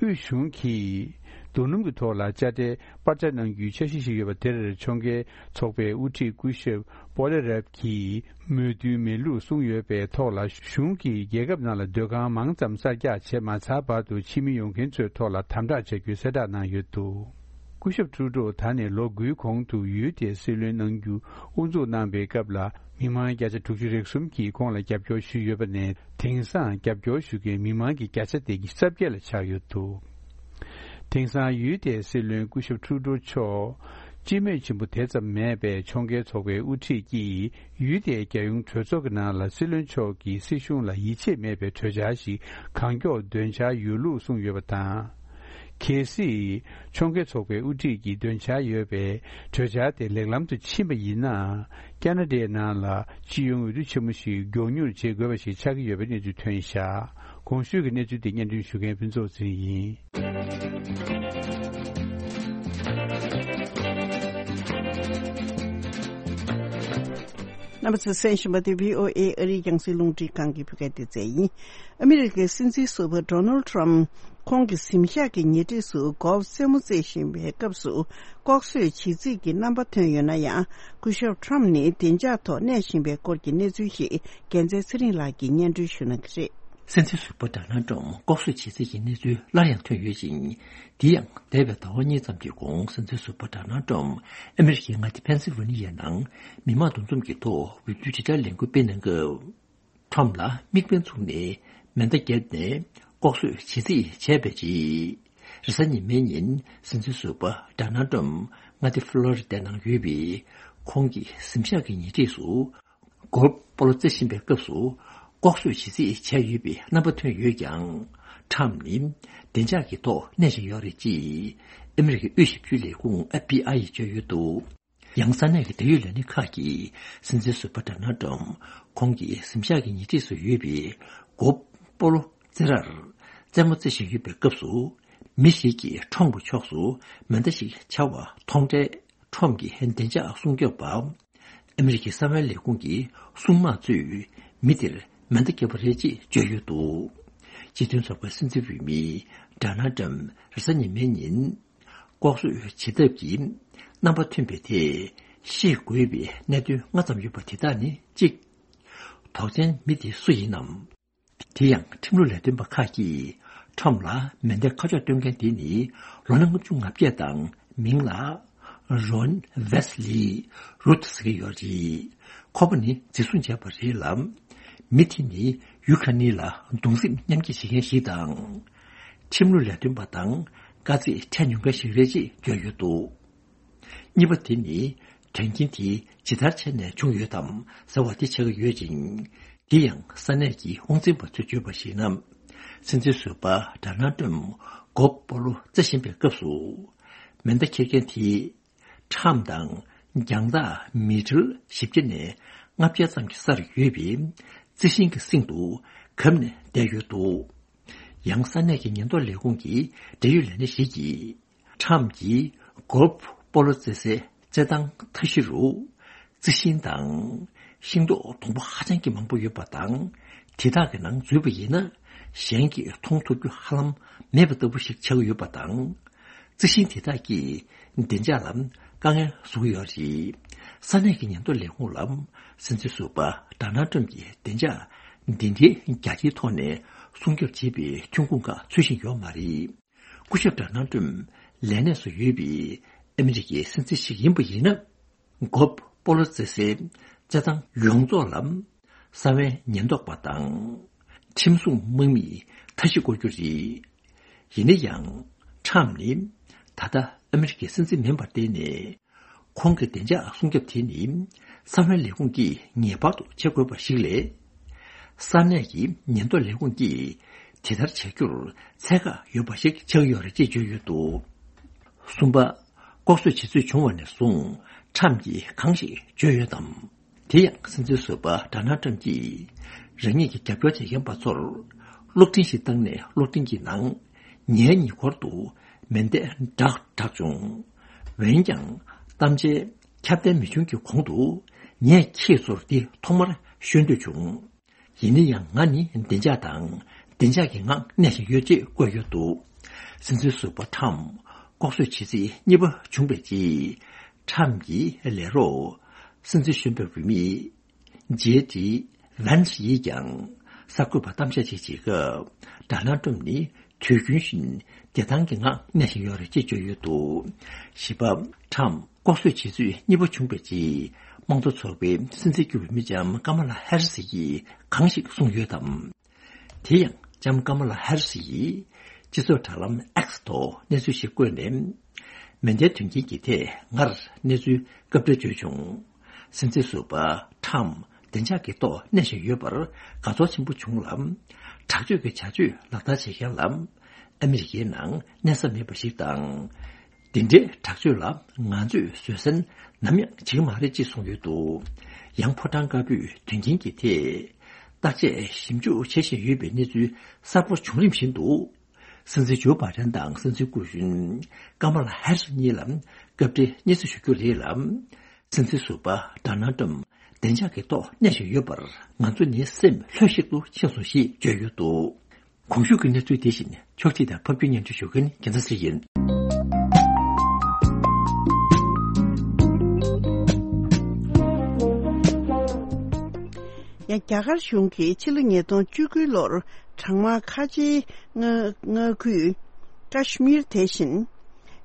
དབུས་གཞུང་གིས་རྡོ་སྣུམ་གྱི་ཐོག་ལ་དཔྱ་ཁྲལ་སྤར་ཆ་གནང་རྒྱུའི་འཆར་གཞི་ཞིག་ཡོད་པ་དེར། ཁྱོང་གའི་ཚོགས་པའི་དབུ་ཁྲིད་སྐུ་ཞབས་པོ་ལེ་རབ་ཀྱིས་མོས་མཐུན་མེད་ལུགས་གསུངས་ཡོད་པའི་ཐོག་ལ། གཞུང་གིས་རྒྱལ་ཁབ་ནང་ལ་སྡོད་ཁང་མང་ཙམ་གསར་རྒྱག་བྱེད་མ་ཚར་བར་དུ་ཕྱི་མི་ཡོང་མཁན་ཚོའི་ཐོག་ལ་དམ་དྲག་བྱ་རྒྱུའི་གསལ་བསྒྲགས་གནང་ཡོད་འདུག་སྐུ་ཞབས་ཁྲུ་ཌོ་ད་ནས་ལོ་དགུའི་གོང་དུ་ཡུལ་དེའི་སྲིད་བློན་གནང་རྒྱུ་དབུ་འཛུགས་གནང་པའི་སྐབས་ལ། མི་མང་བརྒྱ་ཆ་དྲུག་ཅུ་རེ་གསུམ་གྱིས་ཁོང་ལ་རྒྱབ་སྐྱོར་ཞུས་ཡོད་པ་ནས། དེང་སང་རྒྱབ་སྐྱོར་ཞུ་མཁན་མི་མང་གི་བརྒྱ་ཆ་དེ་ཉི་ཤུ་རྩ་བརྒྱད་ལ་ཆགས་ཡོད་འདུག་དེང་སང་ཡུལ་དེའི་སྲིད་བློན་སྐུ་ཞབས་ཁྲུ་ཌོ་མཆོག་སྤྱི་མོས་ཆེན་པོ་དེ་ཙམ་མེད་པས། ཁྱོང་གའི་ཚོགས་པའི་དབུ་ཁྲིད་ཀྱིས་ཡུལ་དེའི་རྒྱལ་ཡོངས་གྲོས་ཚོགས་ཀྱི་ནང་ལ་སྲིད་བློན་མཆོག་གིས་སྲིད་གཞུང་ལ་ཡིད་ཆེས་མེད་པའི་གྲོས་འཆར་ཞིག་གང་མགྱོགས་འདོན་འཆར་ཡོད་ལུགས་གསུངས་ཡོད་པ་དང་། གལ་སྲིད་ཁྱོང་གའི་ཚོགས་པའི་དབུ་ཁྲིད་ཀྱིས་འདོན་འཆར་ཡོད་པའི་གྲོས་འཆར་དེ་ལེགས་ལམ་དུ་ཕྱིན་པ་ཡིན་ན། ཁ་ན་ཌའི་ནང་ལ་སྤྱི་ཡོངས་འོས་བསྡུ་ཆེན་མོ་ཞིག་མགྱོགས་མྱུར་བྱེད་དགོས་པ་ཞིག་ཆགས་ཀྱི་ཡོད་པའི་གནས་ཚུལ་ཐོན་བཞག་གོང་ཞུས་ཀྱི་གནས་ཚུལ་དེ་སྙན་སྒྲོན་ཞུ་མཁན་ཕུན་ཚོགས་ཚེ་རིང་ཡིན། རྣམ་པ་ཚོས་གསན་བཞིན་པ་དེ་བྷི་ཨོ་ཨེ་ཨ་རིའི་རྒྱང་སྲིང་རླུང་འཕྲིན་ཁང་གི་བོད་སྐད་སྡེ་ཚན་ཡིན། ཨ་མི་རི་ཀའི་སྲིད་འཛིན་ཟུར་པ་ཌོ་ནལ་ཌི་ཊམ་ཁོང་གི་གཟིམ་ཤག་གི་ཉེ་འཁྲིས་སུ་གོལ་ཕ་རྩེད་མོ་རྩེ་བཞིན་པའི་སྐབས་སུ། ལྐོག་གསོད་བྱེད་རྩིས་ཀྱི་རྣམ་པ་ཐོན་ཡོད་ན་ཡང་། སྐུ་ཞབས་ཊམ་ནི་བདེ་འཇགས་ཐོག་གནས་བཞིན་པའི་སྐོར་གྱི་གནས་ཚུལ་ཞིག་རྒྱལ་མཚན་ཚེ་རིང་ལགས་ཀྱིས་སྙན་སྒྲོན་ཞུ་གནང་གི་རེད། སྲིད་འཛིན་ཟུར་པ་ཌོ་ནལ་ཌི་ཊམ་ལྐོག་གསོད་བྱེད་རྩིས་ཀྱི་གནས་ཚུལ་སླར་ཡང་ཐོན་ཡོད་ཅིང་། དེ་ཡང་འདས་པའི་ཟླ་བ་གཉིས་ཙམ་གྱི་གོང་། སྲིད་འཛིན་ཟུར་པ་ཌོ་ནལ་ཊམ་ཨ་མི་རི་ཀའི་མངའ་སྡེ་ཕེན་སིལ་ཝེ་ནི་ཡའི་ནང་མི་མང་འདུ་འཛོམས་ཀྱི་ཐོག་འོས་བསྡུའི་དྲིལ་བསྒྲགས་ལས་འགུལ་སྤེལ་གནང་སྐབས། ཊམ་ལ་དམིགས་འབེན་བཙུགས་ནས་མེ་མདའ་བརྒྱབ་ནས་ལྐོག་གསོད་བྱེད་རྩིས་བྱས་པའི་རྗེས། རེས་གཟའ་ཉི་མའི་ཉིན་སྲིད་འཛིན་ཟུར་པ་ཌོ་ནལ་ཌི་ཊམ་མངའ་སྡེ་ཕློ་རི་ཌའི་ནང་ཡོད་པའི་ཁོང་གི་གཟིམ་ཤག་གི་ཉེ་འཁྲིས་སུ། གོལ་ཕ་སྤོ་ལོ་རྩེ་བཞིན་པའི་སྐབས་སུ་ལྐོག་གསོད་བྱེད་རྩིས་བྱས་ཡོད་པའི་རྣམ་པ་ཐོན་ཡོད་ཀྱང་། ཁྲམ་ནི་བདེ་འཇགས་ཀྱི་ཐོག་གནས་བཞིན་ཡོད་རེད་ཅེས་ཨ་མི་རི་ཀའི་དབུས་ཞིབ་འཇུག་ལས་ཁུངས་ཨེཕ་བྷི་ཨའི་ཡིས་བརྗོད་ཡོད་འདུག། ཡང་ས་གནས་ཀྱི་འབྲེལ་ཡོད་ལས་སྣེ་ཁག་གིས་སྲིད་འཛིན་ཟུར་པ་ཌོ་ནལ་ཊམ་ཁོང་གི་གཟིམ་ཤག་གི་ཉེ་འཁྲིས་སུ་ཡོད་པའི་གོལ་ཕ་སྤོ་ལོ་རྩེད་རར་རྩེད་མོ་རྩེ་བཞིན་ཡོད་པའི་སྐབས་སུ། མི་ཞིག་གིས་ཁྲོམ་གྱི་ཕྱོགས་སུ་མེ་མདའ་ཞིག་འཕྱར་བ་མཐོང་འཕྲལ། ཁྲོམ་གྱི་བདེ་འཇགས་སྲུང་སྐྱོབ་པ། ཨ་མི་རི་ཀའི་གསང་བའི་ལས་ཁུངས་ཀྱི་སྲུང་དམག་ཚོས་མི་དེར་མེ་མདའ་བརྒྱབ་པ་རེད་ཅེས་བརྗོད་ཡོད་འདུག། སྤྱི་མཐུན་ཚོགས་པའི་སྲིད་འཛིན་འོས་མི་ཌོ་ནལ་ཊམ་རེས་གཟའ་ཉི་མའི་ཉིན་ལྐོག་གསོད་བྱེད་ཐབས་ཀྱི་རྣམ་པ་ཐོན་པའི་ཐད་ཤེས་དགོས་པའི་གནད་དོན་ལྔ་ཙམ་ཡོད་པ་དེ་དག་ནི། གཅིག། དོགས་ཅན་མི་དེ་སུ་ཡིན་ནམ། དེ་ཡང་ཁྲིམས་ལུགས་ལས་དོན་པ་ཁག་གིས་ཁྲོམ་ལ་མེ་མདའི་ཁ་ཕྱོགས་སྟོན་མཁན་དེ་ནི་ལོ་ན་ལྔ་བཅུ་ང་བརྒྱད་དང་། མིང་ལ་རོན་ཝེ་སི་ལི་རུད་ཟེར་གྱི་ཡོད་རེད། ཁོ་པ་ནི་འཛིན་བཟུང་བྱས་པ་རེད་ལ། མི་དེ་ནི་ཡུ་ཁ་ནི་ལ་གདུང་སེམས་མཉམ་སྐྱེད་བྱེད་མཁན་ཞིག་དང་། ཁྲིམས་ལུགས་ལས་དོན་པ་དང་དཀའ་ཚེགས་འཕྲད་མྱོང་མཁན་ཞིག་རེད་ཅེས་བརྗོད་ཡོད་འདུག། གཉིས་པ་དེ་ནི་དོན་རྐྱེན་དེ་ཇི་ལྟར་བྱས་ནས་བྱུང་ཡོད་དམ་ཟེར་བ་དེ་ཆགས་ཀྱི་ཡོད་ཅིང་། དེ་ཡང་ས་གནས་ཀྱི་དབང་འཛིན་པ་ཚོས་བརྗོད་པར་གཞིགས་ན། སྲིད་འཛིན་ཟུར་པ་ཌོ་ནལ་ཊམ་གོལ་ཕ་སྤོ་ལོ་རྩེ་བཞིན་པའི་སྐབས་སུ། མེ་མདའ་འཁྱེར་མཁན་དེས་ཁྲམ་དང་རྒྱང་ཐག་མི་ཊར་བཞི་བརྒྱ་ནས་ལྔ་བརྒྱ་ཙམ་གྱི་སར་ཡོད་པའི་རྩི་ཤིང་གི་གསེང་དུ་བསྒྲིགས་ནས་བསྡད་ཡོད་འདུག། ཡང་ས་གནས་ཀྱི་ཉེན་རྟོག་ལས་ཁུངས་ཀྱི་འབྲེལ་ཡོད་ལས་སྣེ་ཞིག་གིས། ཁྲམ་གྱིས་གོལ་ཕ་སྤོ་ལོ་རྩེད་སའི་རྩེད་ཐང་མཐའ་བཞི་རུ་རྩི་ཤིང་དང་ཤིང་ཏོག་སྡོང་པོ་ཧ་ཅང་གི་མང་པོ་ཡོད་པ་དང་། དེ་དག་གི་ནང་འཛུལ་བ་ཡིན་ན་གཞན་གྱིས་མཐོང་ཐུབ་རྒྱུ་ཧ་ལམ་མེད་པ་ལྟ་བུ་ཞིག་ཆགས་ཡོད་པ་དང་། རྩི་ཤིང་དེ་དག་གིས་བདེ་འཇགས་ལ་དཀའ་ངལ་བཟོ་གི་ཡོད་རེད། ས་གནས་ཀྱི་ཉེན་རྟོག་ལས་ཁུངས་ལ་སྲིད་འཛིན་ཟུར་པ་ཌོ་ནལ་ཊམ་གྱི་བདེ་འཇགས་འདི་འདྲའི་རྒྱ་ཆེའི་ཐོག་ནས་སྲུང་སྐྱོབ་བྱེད་པའི་ཐོན་ཁུངས་ཁག་འཚོལ་བཞིན་ཡོད་མ་རེད། སྐུ་ཞབས་ཌོ་ནལ་ཊམ་ལས་གནས་སུ་ཡོད་པའི་ཨ་མི་རི་ཀའི་སྲིད་འཛིན་ཞིག་ཡིན་པ་ཡིན་ན། གོལ་ཕ་སྤོ་ལོ་རྩེད་སའི་རྩེད་ཐང་ཡོངས་རྫོགས་ལ་གསང་བའི་ཉེན་རྟོག་པ་དང་ཁྲིམས་སྲུང་དམག་མིས་མཐའ་བཞི་བསྐོར་རྒྱུ་རེད། ཡིན་ན་ཡང་ཁྲམ་ནི་ད་ལྟ་ཨ་མི་རི་ཀའི་སྲིད་འཛིན་མིན་པར་བརྟེན་ནས། ཁོང་གི་བདེ་འཇགས་སྲུང་སྐྱོབ་དེ་ནི་གསང་བའི་ལས་ཁུངས་ཀྱིས་ངེས་པར་དུ་བྱེད་དགོས་པ་ཞིག་ལས། ས་གནས་ཀྱི་ཉེན་རྟོག་ལས་ཁུངས་ཀྱིས་དེ་ལྟར་བྱ་རྒྱུར་ཚད་བཀག་ཡོད་པ་ཞིག་ཆགས་ཡོད་རེད་ཅེས་བརྗོད་ཡོད་འདུག། གསུམ་པ། ལྐོག་གསོད་བྱེད་ཚུལ་བྱུང་བ་ནས་བཟུང་ཁྲམ་གྱིས་གང་ཞིག་བརྗོད་ཡོད་དམ། དེ་ཡང་སྲིད་འཛིན་ཟུར་པ་ཌོ་ནལ་ཊམ་གྱིས་རང་ཉིད་ཀྱི་རྒྱབ་སྐྱོར་བྱེད་མཁན་པ་ཚོར་གློག་འཕྲིན་ཞིག་བཏང་ནས་གློག་འཕྲིན་གྱི་ནང་ངའི་ཉེ་འཁོར་དུ་མེ་མདའ་གྲགས་གྲགས་བྱུང་། འོན་ཀྱང་གཏམ་བྱའི་ཁྱབ་གདལ་མི་བྱུང་གི་གོང་དུ་ངས་ཁྱེད་ཚོར་འདི་ཐོག་མར་ཤོད་འདོད་བྱུང་། ཡིན་ན་ཡང་ང་ནི་བདེ་འཇགས་དང་བདེ་འཇགས་ཀྱི་ངང་གནས་བཞིན་ཡོད་ཅེས་བཀོད་ཡོད་འདུག། སྲིད་འཛིན་ཟུར་པ་ཁྲམ་ལྐོག་གསོད་བྱེད་རྩིས་གཉིས་པ་བྱུང་བའི་རྗེས། ཁྲམ་གྱི་ལས་རོགས་སྲིད་འཛིན་གཞོན་པའི་འོས་མི་ཇེ་ཌི་ཝན་སི་ཡིས་ཀྱང་གསར་འགོད་པར་གཏམ་བཤད་ཅིག་བྱེད་སྐབས། ཌོ་ནལ་ཊམ་ནི་དུས་རྒྱུན་བཞིན་བདེ་ཐང་གི་ངང་གནས་བཞིན་ཡོད་རེད་ཅེས་བརྗོད་ཡོད་འདུག། བཞི་པ། ཁྲམ་ལྐོག་གསོད་བྱེད་ཚུལ་གཉིས་པ་བྱུང་བའི་རྗེས། དམངས་གཙོ་ཚོགས་པའི་སྲིད་འཛིན་གྱི་འོས་མི་ལྕམ་ཀ་མ་ལ་ཧེ་རི་སི་ཡིས་གང་ཞིག་གསུངས་ཡོད་དམ། དེ་ཡང་ལྕམ་ཀ་མ་ལ་ཧེ་རི་སི་ཡིས་སྤྱི་ཚོགས་དྲ་ལམ་ཨེག་སི་ཐོག་གནས་ཚུལ་ཞིག་བཀོད་ནས། མེ་མདའི་དོན་རྐྱེན་གྱི་ཐད་ངར་གནས་ཚུལ་སྐབས་འཕྲལ་བརྗོད་བྱུང་། སྲིད་འཛིན་ཟུར་པ་ཁྲམ་བདེ་འཇགས་ཀྱི་ཐོག་གནས་བཞིན་ཡོད་པར་དགའ་ཚོར་ཆེན་པོ་བྱུང་ལ། དྲག་སྤྱོད་ཀྱི་བྱ་སྤྱོད་ལག་བསྟར་བྱེད་མཁན་ལ་ཨ་མི་རི་ཀའི་ནང་གནས་ས་མེད་པ་ཞིག་དང་། འདི་འདྲའི་དྲག་སྤྱོད་ལ་ང་ཚོས་བཟོད་བསྲན་ནམ་ཡང་བྱེད་ཀྱི་མ་རེད་ཅེས་གསུངས་ཡོད་འདུག། ཡང་ཕོ་བྲང་དཀར་པོས་དོན་རྐྱེན་གྱི་ཐད་བརྟག་དཔྱད་ཞིབ་འཇུག་བྱེད་བཞིན་ཡོད་པའི་གནས་ཚུལ་གསར་པ་བྱུང་རིམ་བཞིན་དུ། སྲིད་འཛིན་ཇོ་བྷ་ཌེན་དང་སྲིད་འཛིན་སྐུ་གཞོན་ཀ་མ་ལ་ཧེ་རི་སི་གཉིས་ལ་སྐབས་འཕྲལ་སྙན་སེང་ཞུ་རྒྱུ་རེད་ལ། སྲིད་འཛིན་ཟུར་པ་ཌོ་ནལ་ཊམ་བདེ་འཇགས་ཀྱི་ཐོག་གནས་བཞིན་ཡོད་པར་ང་ཚོ་ནི་སེམས་ལྷོད་ཤིག་ཏུ་ཕྱིན་སོང་ཞེས་བརྗོད་ཡོད་འདུག། གོང་ཞུས་ཀྱི་གནས་ཚུལ་དེ་བཞིན་ཕྱོགས་སྒྲིག་དང་ཕབ་སྒྱུར་སྙན་སྒྲོན་ཞུ་མཁན་རྒྱལ་མཚན་ཚེ་རིང་ཡིན། ཡང་རྒྱ་གར་གཞུང་གིས་ཕྱི་ལོ་ཉིས་སྟོང་བཅུ་དགུ་ལོར་གྲང་དམག་ཁ་ཆེའི་མངའ་མངའ་ཁུལ་ཀ་ཤི་མིར་དེ་བཞིན།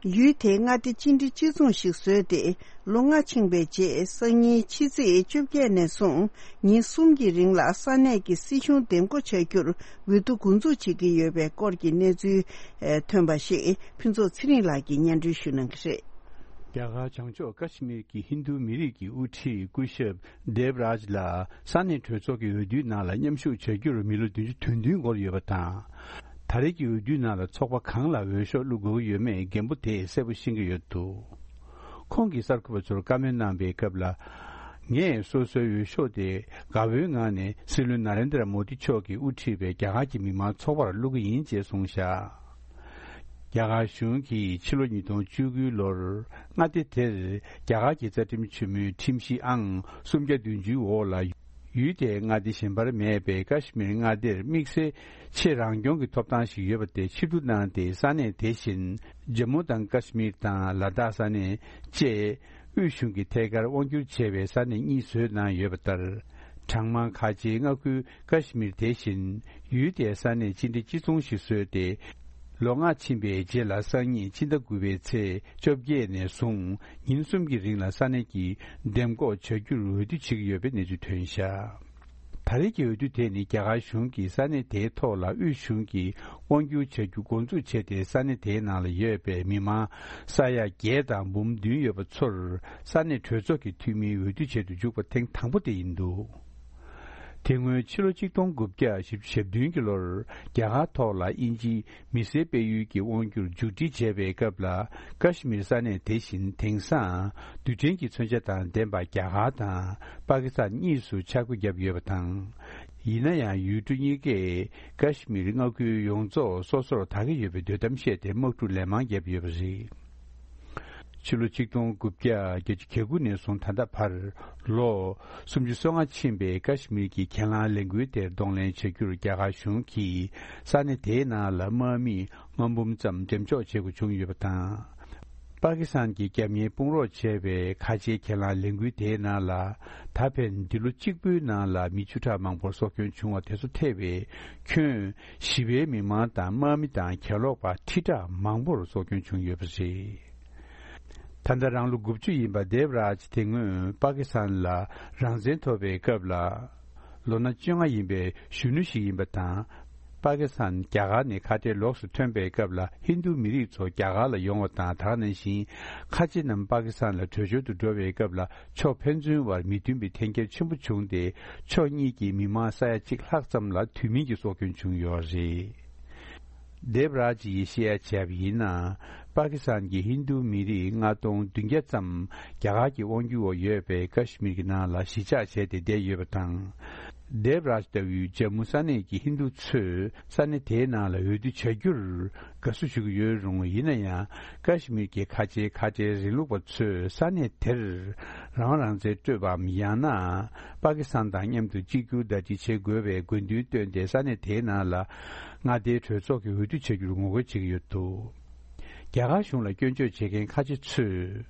ཡུལ་དེའི་མངའ་སྡེ་གཅིག་སྒྲིལ་གཅིག་མཚུངས་ཤིག་བཟོས་ཏེ། ལོ་ལྔ་ཕྱིན་པའི་རྗེས། སང་ཉིན་ཕྱི་ཚེས་བཅོ་བརྒྱད་ནས་བཟུང་ཉིན་གསུམ་གྱི་རིང་ལ་ས་གནས་ཀྱི་སྲིད་གཞུང་འདེམས་བསྐོ་བྱ་རྒྱུར་འོས་བསྡུ་འགོ་འཛུགས་བྱེད་ཀྱི་ཡོད་པའི་སྐོར་གྱི་གནས་ཚུལ་ཐོན་པ་ཞིག་ཕུན་ཚོགས་ཚེ་རིང་ལགས་ཀྱིས་སྙན་སྒྲོན་ཞུ་གནང་གི་རེད། རྒྱ་གར་བྱང་ཕྱོགས་ཀ་ཤི་མིར་གྱི་ཧིན་རྡུ་མི་རིགས་ཀྱི་དབུ་ཁྲིད་སྐུ་ཞབས་དེབ་རཱཇ་ལ་ས་གནས་གྲོས་ཚོགས་ཀྱི་འོས་བསྡུའི་ནང་ལ་མཉམ་ཞུགས་བྱ་རྒྱུར་མི་ལོ་བདུན་ཅུ་དོན་བདུན་འགོར་ཡོད་པ་དང་། ད་རེས་ཀྱི་འོས་བསྡུའི་ནང་ལ་ཚོགས་པ་གང་ལ་འོས་ཤོག་བླུག་དགོས་ཀྱི་ཡོད་མེད་རྒན་པོ་དེས་གསལ་པོ་ཤེས་ཀྱི་ཡོད་འདུག་ཁོང་གིས་གསར་འགོད་པ་ཚོར་བཀའ་མོལ་གནང་པའི་སྐབས་ལ། ངས་སོ་སོའི་འོས་ཤོག་དེ་དགའ་བོའི་ངང་ནས་སྲིད་བློན་ན་རེན་དྲ་མོ་དི་མཆོག་གིས་དབུ་ཁྲིད་པའི་རྒྱ་གར་གྱི་མི་མང་ཚོགས་པར་བླུག་གི་ཡིན་ཅེས་གསུངས་བཞག་རྒྱ་གར་གཞུང་གིས་ཕྱི་ལོ་ཉིས་སྟོང་བཅུ་དགུའི་ལོར་མངའ་སྡེ་དེར་རྒྱ་གར་གྱི་རྩ་ཁྲིམས་ཆེན་མོའི་ཁྲིམས་གཞི་ཨང་སུམ་བརྒྱ་བདུན་ཅུའི་འོག་ལ་ཡུལ་དེའི་མངའ་སྡེ་གཞན་པར་མེད་པའི་ཀ་ཤི་མིར་མངའ་སྡེར་དམིགས་བསལ་ཆེས་རང་སྐྱོང་གི་ཐོབ་ཐང་ཞིག་ཡོད་པ་དེ་ཕྱིར་བསྡུ་གནང་སྟེ་ས་གནས་དེ་བཞིན་ཇམ་མུ་དང་ཀ་ཤི་མིར་དང་ལ་དྭགས་ས་གནས་བཅས། དབུས་གཞུང་གི་ཐད་ཀར་དབང་བསྒྱུར་བྱས་པའི་ས་གནས་གཉིས་བཟོས་གནང་ཡོད་པ་ལྟར། གྲངས་མང་ཁ་ཆེའི་མངའ་ཁུལ་ཀ་ཤི་མིར་དེ་བཞིན་ཡུལ་དེའི་ས་གནས་སྤྱི་བདེ་སྤྱི་ཚོགས་ཤིག་བཟོས་ཏེ། ལོ་ལྔ་ཕྱིན་པའི་རྗེས་ལ་སང་ཉིན་ཕྱི་ཟླ་དགུ་པའི་ཚེས་བཅོ་བརྒྱད་ནས་བཟུང་ཉིན་གསུམ་གྱི་རིང་ལ་ས་གནས་ཀྱི་འདེམས་བསྐོ་བྱ་རྒྱུར་འོས་བསྡུ་བྱེད་ཀྱི་ཡོད་པའི་གནས་ཚུལ་ཐོན་བཞག་ད་རེས་ཀྱི་འོས་བསྡུ་དེ་ནི་རྒྱ་གར་གཞུང་གིས་ས་གནས་དེའི་ཐོག་ལ་དབུས་གཞུང་གིས་དབང་སྒྱུར་བྱ་རྒྱུ་འགོ་འཛུགས་བྱས་ཏེ་ས་གནས་དེའི་ནང་ལ་ཡོད་པའི་མི་མང་ས་ཡ་བརྒྱད་དང་འབུམ་བདུན་ཡོད་པ་ཚོར་ས་གནས་གྲོས་ཚོགས་ཀྱི་འཐུས་མིའི་འོས་བསྡུ་བྱེད་དུ་འཇུག་པ་ཐེངས་དང་པོ་དེ་ཡིན་འདུག་དེ་སྔོན་ཕྱི་ལོ་ཆིག་སྟོང་དགུ་བརྒྱ་ཞེ་བདུན་གྱི་ལོར་རྒྱ་གར་ཐོག་ལ་དབྱིན་ཇིའི་མི་སེར་སྤེལ་ཡུལ་གྱི་དབང་སྒྱུར་མཇུག་སྒྲིལ་བྱས་པའི་སྐབས་ལ་ཀ་ཤི་མིར་ས་གནས་དེ་བཞིན་དེང་སང་རྡུལ་ཕྲན་གྱི་མཚོན་ཆ་དང་ལྡན་པ་རྒྱ་གར་དང་པ་ཀི་སི་ཐན་གཉིས་སུ་ཆ་བགོས་བརྒྱབ་ཡོད་པ་དང་། ཡིན་ན་ཡང་ཡུལ་གྲུ་གཉིས་ཀས་ཀ་ཤི་མིར་མངའ་ཁུལ་ཡོངས་རྫོགས་སོ་སོར་དག་གི་ཡོད་པའི་འདོད་གཏམ་བཤད་དེ་དམག་འཁྲུག་ལན་མང་བརྒྱབ་ཡོད་པ་རེད། ཕྱི་ལོ་ཆིག་སྟོང་དགུ་བརྒྱ་བརྒྱད་ཅུ་གྱ་དགུ་ནས་བཟུང་ད་ལྟ་བར་ལོ་སུམ་ཅུ་སོ་ལྔ་ཕྱིན་པའི་ཀ་ཤི་མིར་གྱི་གྱེན་ལངས་ལས་འགུལ་དེར་གདོང་ལེན་བྱ་རྒྱུར་རྒྱ་གར་གཞུང་གིས་ས་གནས་དེའི་ནང་ལ་དམག་མི་ལྔ་འབུམ་ཙམ་འགྲེམས་འཇོག་བྱེད་དགོས་བྱུང་ཡོད་པ་དང་། པ་ཀི་སི་ཐན་གྱིས་རྒྱབ་གཉེར་དཔུང་རོགས་བྱས་པའི་ཁ་ཆེའི་གྱེན་ལངས་ལས་འགུལ་དེའི་ནང་ལ་ད་ཕན་འདི་ལོ་གཅིག་པུའི་ནང་ལ་མི་བཅུ་ཕྲག་མང་པོར་སྲོག་སྐྱོན་བྱུང་བ་དེ་ཚོ་ཐེ་བའི་ཁྱོན་ཞི་བའི་མི་མང་དང་དམག་མི་དང་གྱེན་ལོག་པ་ཁྲི་ཕྲག་མང་པོར་སྲོག་སྐྱོན་བྱུང་ཡོད་པ་རེད། ད་ལྟ་རང་ལོ་དགུ་བཅུ་ཡིན་པ་དེབ་རཱཇ་དེ་སྔོན་པ་ཀི་སི་ཐན་ལ་རང་བཙན་ཐོབ་པའི་སྐབས་ལ། ལོ་ན་བཅོ་ལྔ་ཡིན་པའི་གཞོན་ནུ་ཞིག་ཡིན་པ་དང་། པ་ཀི་སི་ཐན་རྒྱ་གར་ནས་ཁ་བྲལ་ལོགས་སུ་ཐོན་པའི་སྐབས་ལ་ཧིན་རྡུ་མི་རིགས་ཚོ་རྒྱ་གར་ལ་ཡོང་བ་དང་། ད་ག་ནང་བཞིན་ཁ་ཆེ་རྣམས་པ་ཀི་སི་ཐན་ལ་བྲོས་བྱོལ་དུ་འགྲོ་བའི་སྐབས་ལ་ཕྱོགས་ཕན་ཚུན་བར་མི་མཐུན་པའི་འཐེན་འཁྱེར་ཆེན་པོ་བྱུང་སྟེ། ཕྱོགས་གཉིས་ཀྱི་མི་མང་ས་ཡ་གཅིག་ལྷག་ཙམ་ལ་དུས་མིན་གྱི་སྲོག་སྐྱོན་བྱུང་ཡོད་རེད། དེབ་རཱཇ་ཡིས་བཤད་ཡ་བྱས་པ་ཡིན་ན། པ་ཀི་སི་ཐན་གྱི་ཧིན་རྡུ་མི་རིགས་ལྔ་སྟོང་བདུན་བརྒྱ་ཙམ་རྒྱ་གར་གྱི་དབང་སྒྱུར་འོག་ཡོད་པའི་ཀ་ཤི་མིར་གྱི་ནང་ལ་གཞིས་ཆགས་བྱས་ཏེ་བསྡད་ཡོད་པ་དང་། དེབ་རཱཇ་ལྟ་བུའི་ཇམ་མུ་ས་གནས་ཀྱི་ཧིན་རྡུ་ཚོས་ས་གནས་དེའི་ནང་ལ་འོས་བསྡུ་བྱ་རྒྱུར་དགའ་བསུ་ཞུ་གི་ཡོད་རུང་། ཡིན་ན་ཡང་ཀ་ཤི་མིར་གྱི་ཁ་ཆེའི་ཁ་བྲལ་རིང་ལུགས་པ་ཚོས་ས་གནས་དེར་རང་རང་བཙན་སྤྲོད་པའམ། ཡང་ན་པ་ཀི་སི་ཐན་དང་མཉམ་དུ་གཅིག་གྱུར་ཟླ་སྒྲིལ་བྱེད་དགོས་པའི་དགོས་འདུན་བཏོན་ཏེ་ས་གནས་དེའི་ནང་ལ་མངའ་སྡེའི་གྲོས་ཚོགས་ཀྱི་འོས་བསྡུ་བྱ་རྒྱུར་ངོ་རྒོལ་བྱེད་ཀྱི་ཡོད་འདུག་རྒྱ་གར་གཞུང་ལ་སྐྱོན་བརྗོད་བྱེད་མཁན་ཁ་ཆེ་ཚོས།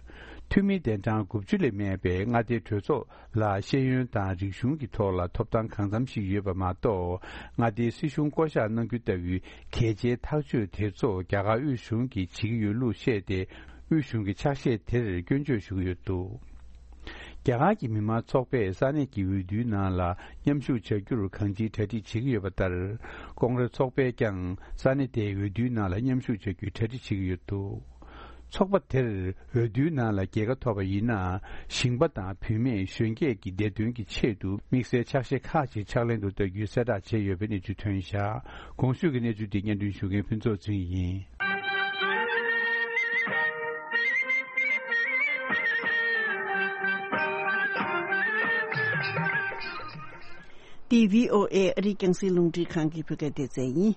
འཐུས་མི་གདན་གྲངས་དགུ་བཅུ་ལས་མེད་པའི་མངའ་སྡེའི་གྲོས་ཚོགས་ལ་ཤེས་ཡོན་དང་རིག་གཞུང་གི་ཐོག་ལ་ཐོབ་ཐང་གང་འཚམ་ཞིག་ཡོད་པ་མ་གཏོགས། མངའ་སྡེའི་སྲིད་གཞུང་བསྐོ་གཞག་གནང་རྒྱུ་ལྟ་བུའི་གལ་ཆེའི་ཐག་གཅོད་དེ་ཚོ་རྒྱ་གར་དབུས་གཞུང་གིས་བྱེད་ཀྱི་ཡོད་ལུགས་བཤད་དེ། དབུས་གཞུང་གི་ཕྱག་བཞེས་དེར་སྐྱོན་བརྗོད་ཞུ་གི་ཡོད་འདུག་རྒྱ་གར་གྱི་མི་མང་ཚོགས་པས་ས་གནས་ཀྱི་འོས་བསྡུའི་ནང་ལ་མཉམ་ཞུགས་བྱ་རྒྱུར་གང་ཅིའི་གྲ་སྒྲིག་བྱེད་ཀྱི་ཡོད་པ་ལྟར། ཀོང་རེ་ཚོགས་པས་ཀྱང་ས་གནས་དེའི་འོས་བསྡུའི་ནང་ལ་མཉམ་ཞུགས་བྱ་རྒྱུའི་གྲ་སྒྲིག་བྱེད་ཀྱི་ཡོད་འདུག་ཚོགས་པ་དེར་འོས་བསྡུའི་ནང་ལ་རྒྱལ་ཁ་ཐོབ་པ་ཡིན་ན། ཞིང་པ་དང་བུད་མེད་གཞོན་སྐྱེས་ཀྱི་བདེ་དོན་གྱི་ཆེད་དུ་དམིགས་བསལ་ཕྱག་བཞེས་ཁག་ཅིག་ཕྱག་ལེན་དུ་བསྟར་རྒྱུའི་གསལ་བསྒྲགས་བྱས་ཡོད་པའི་གནས་ཚུལ་ཐོན་བཞག་གོང་ཞུས་ཀྱི་གནས་ཚུལ་འདི་སྙན་སྒྲོན་ཞུ་མཁན་ཕུན་ཚོགས་ཚེ་རིང་ཡིན། འདི་བྷི་ཨོ་ཨེ་ཨ་རིའི་རྒྱང་སྲིང་རླུང་འཕྲིན་ཁང་གི་བོད་སྐད་སྡེ་ཚན་ཡིན།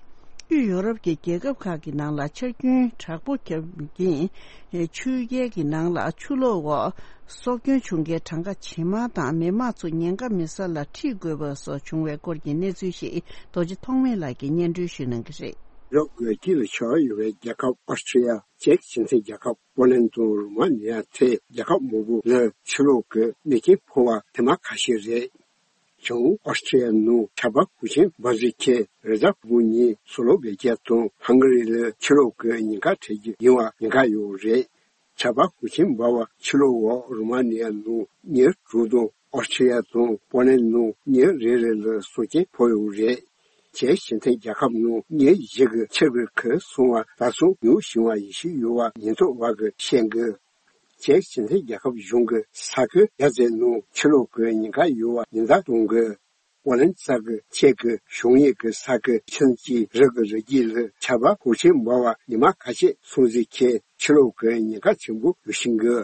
དབུས་ཡོ་རོབ་ཀྱི་རྒྱལ་ཁབ་ཁག་གི་ནང་ལ་ཆར་རྒྱུན་དྲག་པོ་བརྒྱབ་རྐྱེན། ཆུ་རྐྱལ་གྱི་ནང་ལ་ཆུ་ལོག་འོག་སྲོག་སྐྱོན་བྱུང་མཁན་གྲངས་ཀ་ཇེ་མང་དང་མི་མང་ཚོ་ཉེན་ཁ་མེད་ས་ལ་ཁྲིད་དགོས་པ་སོགས་བྱུང་བའི་སྐོར་གྱི་གནས་ཚུལ་ཞིག་རྡོ་རྗེ་ཐོགས་མེད་ལགས་ཀྱིས་སྙན་སྒྲོན་ཞུ་གནང་གི་རེད། ཡུ་རོབ་ཀྱི་དཀྱིལ་ལ་ཤར་ཡོད་པའི་རྒྱལ་ཁབ་ཨོ་སི་ཁྲི་ཡ། ཅེཀ་སྤྱི་མཐུན་རྒྱལ་ཁབ། པོ་ལན་དང་རུ་མ་ནི་ཡ་ཐེ་རྒྱལ་ཁབ་མང་པོ་ལ་ཆུ་ལོག་གི་ནད་རྐྱེན་ཕོག་པ་དེ་མ་ཁ་ཤས་རེད། བྱང་ཨོ་སི་ཁྲི་ཡ་ནང་ཆར་པ་ཤུགས་ཆེན་འབབ་ཚིགས་ཁེལ་རེ་ཟ་ཕུ་གཉིས་སུ་ལོ་བེ་ཀྱ་དང་ཧང་ག་རི་ལ་ཆུ་ལོག་གི་ཉེན་ཁ་འཕྲད་རྒྱུ་ཡིན་པ་ཉེན་ཁ་ཡོད་རེད། ཆར་པ་ཤུགས་ཆེན་འབབ་པ་ཕྱི་ལོགས་འོག་རུ་མ་ནི་ཡ་ནང་ཉེར་དྲུག་དང་ཨོ་སི་ཁྲི་ཡ་དང་པོ་ལན་ནང་ཉེར་རེ་རེ་ལ་སྲོག་སྐྱོན་ཕོག་ཡོད་རེད། ཅེཀ་སྤྱི་མཐུན་རྒྱལ་ཁབ་ནང་ཉེར་བཞི་གི་ཆར་པའི་ཁུལ་སོང་བ་ད་སོང་ཉུང་ཞིང་བ་ཡེ་ཤུ་ཡོད་པ་ཉེན་རྟོག་པ་གིས་བཤད་འདུག་ཅེཀ་སྤྱི་མཐུན་རྒྱལ་ཁབ་གཞུང་གི་ས་ཁུལ་རྒྱ་མཚན་ནང་ཕྱི་ལོགས་ཀྱི་ཉེན་ཁ་ཡོད་པ་ཉེན་བརྡ་གཏོང་གི། ཨོ་ལན་ས་གི་ཅེཀ་གི་གཞུང་གཡས་ཀྱི་ས་ཁུལ་ཆིན་གྱི་རི་གི་རི་རྒྱུད་ལ་ཆར་པ་ཤུགས་ཆེན་འབབ་པ་ཉི་མ་ཁ་ཤས་སོང་ཟིན་ཁྱེད་ཕྱི་ལོགས་ཀྱི་ཉེན་ཁ་ཆེན་པོ་ཡོད་བཞིན་གི།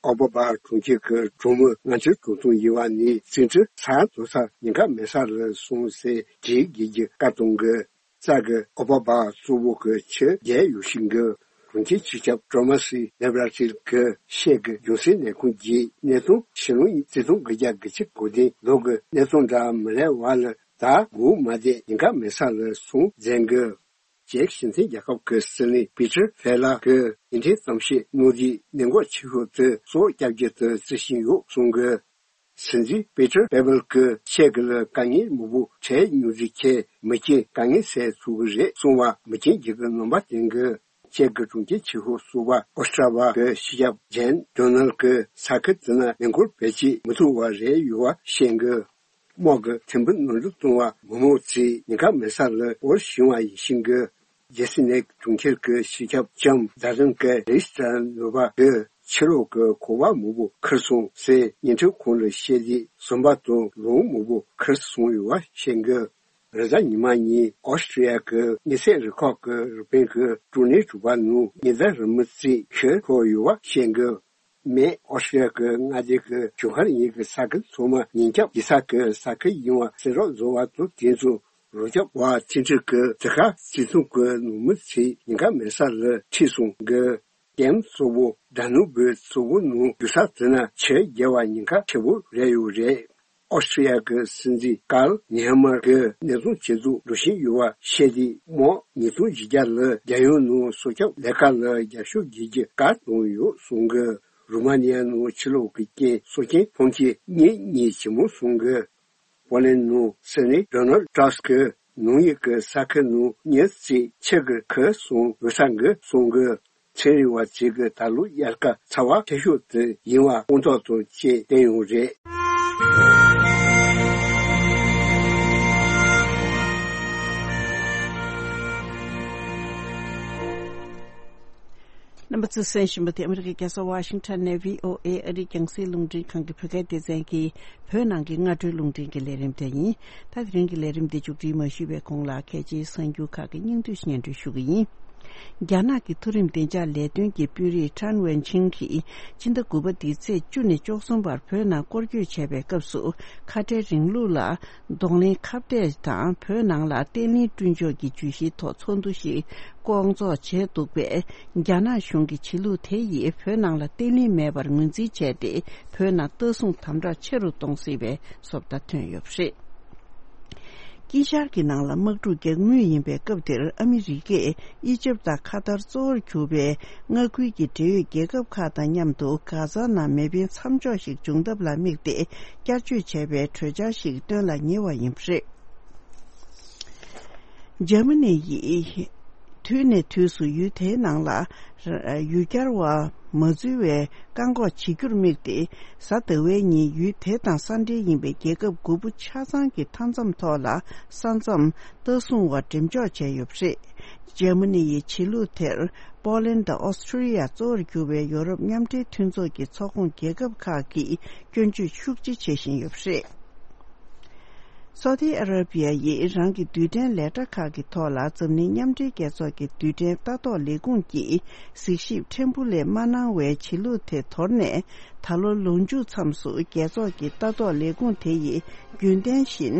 ཨོ་པ་པ་གྲོང་ཁྱེར་གྱི་གྲོང་མི་ལྔ་བཅུ་དྲུག་སྟོང་ཡིན་པ་ནི་རྩིས་འཕྲུལ་ས་འགྲོ་ས་ཉེན་ཁ་མེད་ས་ལ་སོང་ཟེར་དྲིས་དགོས་ཀྱི་བཀའ་གཏོང་གི། ས་གི་ཨོ་པ་པ་གཙོ་བོ་གི་ཆུ་རྒྱལ་ཡོད་བཞིན་གི། གྲོང་ཁྱེར་སྤྱི་ཁྱབ་ཀྲོ་མ་སི་ལེབ་ར་ཊིལ་གི་ཤེད་གི་རྒྱུན་སྲིང་ལས་ཁུངས་ཀྱི་གནས་སྟངས་ཕྱི་ལོ་ཉིས་སྟོང་དགུ་བརྒྱ་དགུ་བཅུ་གོ་བདུན་ལོ་གི་གནས་སྟངས་འདྲ་མི་ལེ་བ་ལ་ད་སྒུག་མ་བསྡད་ཉེན་ཁ་མེད་ས་ལ་སོང་མཛད་གི། ཅེཀ་སྤྱི་མཐུན་རྒྱལ་ཁབ་ཀྱི་སྲིད་བློན་པི་ཏྲ་ཧྥེ་ལ་གིས་ཉིན་ཐེངས་ཙམ་ཞིག་གནང་དུས་གནད་འགག་ཆེ་ཤོས་དེ་སྲོག་སྐྱབས་རྒྱུ་དེ་བརྩི་བཞིན་ཡོད་གསུང་གི། སྲིད་འཛིན་པི་ཏྲ་པེ་བལ་གྱིས་ཅེཀ་ལ་དཀའ་ངལ་མང་པོ་འཕྲད་མྱོང་དུས་ཁྱེད་མི་རྐྱེན་དཀའ་ངལ་སེལ་ཐུབ་ཀྱི་རེད་གསུང་བ་མི་རྐྱེན་གྱི་གི་རྣམ་པ་བསྟན་གི། ཅེཀ་གི་གྲོང་ཁྱེར་ཆེ་ཤོས་སུ་བ་ཨོ་སི་ཏྲ་བ་གི་སྤྱི་ཁྱབ་ཇན་ཌོ་ནལ་གྱིས་ས་ཁུལ་དེ་ན་མེ་འཁོར་བེད་སྤྱད་མི་ཐུབ་པ་རེད་ཡོད་པ་བཤད་གི། དམག་གི་ཐེམ་བུ་ནོར་འཁྲུལ་བཏང་བ་མི་མང་ཚོས་ཉེན་ཁ་མེད་ས་ལ་འོར་ཞིང་བ་ཡིན་ཤིང་གི། རྒྱལ་སྲིད་ནས་གྲོང་ཁྱེར་གྱི་སྤྱི་ཁྱབ་ལྕམ་ཛ་རན་ཀེ་རེ་སི་ཏྲ་ནུ་བ་གིས་ཕྱི་ལོགས་ཀྱི་གོ་བ་མང་པོ་ཁུར་སོང་ཟེར་ཉིན་ཁྲི་ཁོང་ལ་བཤད་དུས་ཟམ་པ་དང་ལུང་མང་པོ་ཁུར་སོང་ཡོད་པ་བཤད་གི། རེས་གཟའ་ཉི་མ་ཉིན་ཨོ་སི་ཀྲི་ཡ་གི་དངོས་ཚན་རུ་ཁག་གི་རུ་དཔོན་གྱིས་ཀྲུང་ནེ་གྲུ་པ་ནང་ཉེན་བརྡ་རིང་མོ་རྩིས་ཤོད་ཐུབ་ཡོད་པ་བཤད་གི། མེས་ཨོ་སི་ཀྲི་ཡ་གི་མངའ་སྡེ་གི་ཞོགས་མཁར་ཉིན་གྱི་ས་ཁུལ་ཚང་མ་ཉེན་སྐྱོབ་ཡིག་ཚགས་ཀྱི་ས་ཁུལ་ཡིན་པ་གསལ་བསྒྲགས་བཟོ་བ་དང་དེ་ཚོ་རོགས་སྐྱོབ་པ་ཚན་ཁྲིད་ཀྱི་དེ་ཁ་སྲིད་ཚོང་གི་ནང་མི་ཚོས་ཉེན་ཁ་མེད་ས་ལ་ཁྲིད་སོང་གི། ཀེམ་གཙོ་བོ་ཌ་ནུ་བུ་གཙོ་བོ་ནང་རྒྱུག་ས་དེ་ན་ཆུ་རྒྱལ་བ་ཉེན་ཁ་ཆེ་བོ་རེད་ཡོད་རེད། ཨོ་སི་ཀྲི་ཡ་གི་སྲིད་འཛིན་ཀཱལ་ནེ་ཧ་མར་གྱིས་གནས་སྟངས་ཇེ་སྡུག་འགྲོ་བཞིན་ཡོད་པ་བཤད་དུས་དམག་ཉིས་སྟོང་བཞི་བརྒྱ་ལ་རྒྱལ་ཡོངས་ནང་སྲོག་སྐྱོབ་ལས་ཀ་ལ་རྒྱབ་སྐྱོར་བྱེད་རྒྱུ་བཀའ་གནང་ཡོད་གསུང་གི། རུ་མ་ནི་ཡ་ནང་ཕྱི་ལོགས་ཀྱི་རྐྱེན་སྲོག་རྐྱེན་ཕོན་ཆེ་གཉིས་གཉིས་ཇེ་མང་སོང་གི། པོ་ལན་ནང་སྲིད་བློན་ཌོ་ནལ་ཏྲམ་གྱིས་ནང་ཡིག་གི་ས་ཁུལ་ནང་མྱི་ཚོས་ཕྱི་གི་ཁུར་སོང་འོས་ས་འགི་གསུང་གི། ཚན་རིག་པ་ཚོས་ཀྱི་ད་ལོ་དབྱར་ཁ་ཚ་བ་ཆེ་ཤོས་དེ་ཡིན་པ་དངོས་ཐོག་ཏུ་བཅས་བསྟན་ཡོད་རེད། རྣམ་པ་ཚོས་གསན་བཞིན་པ་དེ་ཨ་མི་རི་ཀའི་རྒྱལ་ས་ཝ་ཤིང་ཊོན་ནས་བྷི་ཨོ་ཨེ་ཨ་རིའི་རྒྱང་སྲིང་རླུང་འཕྲིན་ཁང་གི་བོད་སྐད་སྡེ་ཚན་གྱི་བོད་ནང་གི་སྔ་དྲོའི་རླུང་འཕྲིན་གྱི་ལས་རིམ་དེ་ཡིན། ད་དེ་རིང་གི་ལས་རིམ་འདི་མཇུག་སྒྲིལ་མ་ཞུས་པའི་གོང་ལ་གལ་ཆེའི་གསར་འགྱུར་ཁག་གི་སྙིང་བསྡུས་སྙན་སྒྲོན་ཞུ་གི་ཡིན། རྒྱ་ནག་གི་མཐོ་རིམ་བདེ་འཇགས་ལས་དོན་གྱི་དཔོན་རིགས་ཁྲན་ཝེན་ཆིང་གིས་སྤྱི་ཟླ་དགུ་པ་འདིའི་ཚེས་བཅུ་ནས་བཅུ་གསུམ་བར་བོད་ནང་སྐོར་སྐྱོད་བྱས་པའི་སྐབས་སུ་ཁ་བྲལ་རིང་ལུགས་ལ་གདོང་ལེན་ཁ་གཏད་དང་བོད་ནང་ལ་བརྟན་ལྷིང་བསྐྲུན་ཕྱོགས་ཀྱི་བརྗོད་གཞིའི་ཐོག་ཚོགས་འདུ་ཞིག་བསྐོང་ཚོགས་བྱས་འདུག་པས། རྒྱ་ནག་གཞུང་གི་བྱེད་ལུགས་དེ་ཡིས་བོད་ནང་ལ་བརྟན་ལྷིང་མེད་པར་ངོས་འཛིན་བྱས་ཏེ། བོད་ནང་ལྟ་སྲུང་དམ་དྲག་ཆེ་རུ་གཏོང་སྲིད་པའི་བཟོ་ལྟ་ཐོན་ཡོད་པ་རེད། དཀྱིལ་ཤར་གྱི་ནང་ལ་དམག་འཁྲུག་རྒྱག་མུས་ཡིན་པའི་སྐབས་འདིར། ཨ་མི་རི་ཀས་ཨི་ཇིབ་དང་ཁ་ཐར་གཙོ་བོར་གྱུར་པའི་མངའ་ཁུལ་གྱི་འབྲེལ་ཡོད་རྒྱལ་ཁབ་ཁག་དང་མཉམ་དུ་གྷ་ཛ་ནང་མེ་འཕེན་མཚམས་འཇོག་ཞིག་འབྱུང་ཐབས་ལ་དམིགས་ཏེ། བསྐྱར་བཅོས་བྱས་པའི་གྲོས་འཆར་ཞིག་བཏོན་ལ་ཉེ་བ་ཡིན་པ་རེད། འཇར་མ་ནི་ཡིས་དུས་ནས་དུས་སུ་ཡུལ་དེའི་ནང་ལ་ཡུལ་གྱར་བ་མ་འཛུལ་བའི་བཀག་འགོག་བྱེད་རྒྱུར་དམིགས་ཏེ། གཟའ་ཟླ་བའི་ཉིན་ཡུལ་དེ་དང་ས་འབྲེལ་ཡིན་པའི་རྒྱལ་ཁབ་དགུ་པོ་ཆ་ཚང་གི་མཐའ་མཚམས་ཐོག་ལ་ས་མཚམས་ལྟ་སྲུང་བ་འགྲེམས་འཇོག་བྱས་ཡོད་པ་རེད། འཇར་མ་ནི་ཡི་བྱེད་ལུགས་དེར་པོ་ལན་དང་ཨོ་སི་ཁྲུ་ལི་ཡ་གཙོ་བོར་གྱུར་བའི་ཡོ་རོབ་མཉམ་འབྲེལ་མཐུན་ཚོགས་ཀྱི་ཚོགས་ཁོངས་རྒྱལ་ཁབ་ཁག་གིས་སྐྱོན་བརྗོད་ཤུགས་ཆེ་བྱེད་བཞིན་ཡོད་པ་རེད། སོ་ཏི་ཨ་ར་བི་ཡ་ཡིས་རང་གི་རྡུལ་ཕྲན་ལས་གྲྭ་ཁག་གི་ཐོག་ལ་འཛམ་གླིང་མཉམ་འབྲེལ་རྒྱལ་ཚོགས་ཀྱི་རྡུལ་ཕྲན་ལྟ་རྟོག་ལས་ཁུངས་ཀྱིས་གཟིགས་ཞིབ་ཕྲན་བུ་ལས་མ་གནང་བའི་བྱེད་ལུགས་དེ་དོར་ནས། ད་ལོ་ལོ་མཇུག་མཚམས་སུ་རྒྱལ་ཚོགས་ཀྱི་ལྟ་རྟོག་ལས་ཁུངས་དེ་ཡིས་རྒྱུན་ལྡན་བཞིན་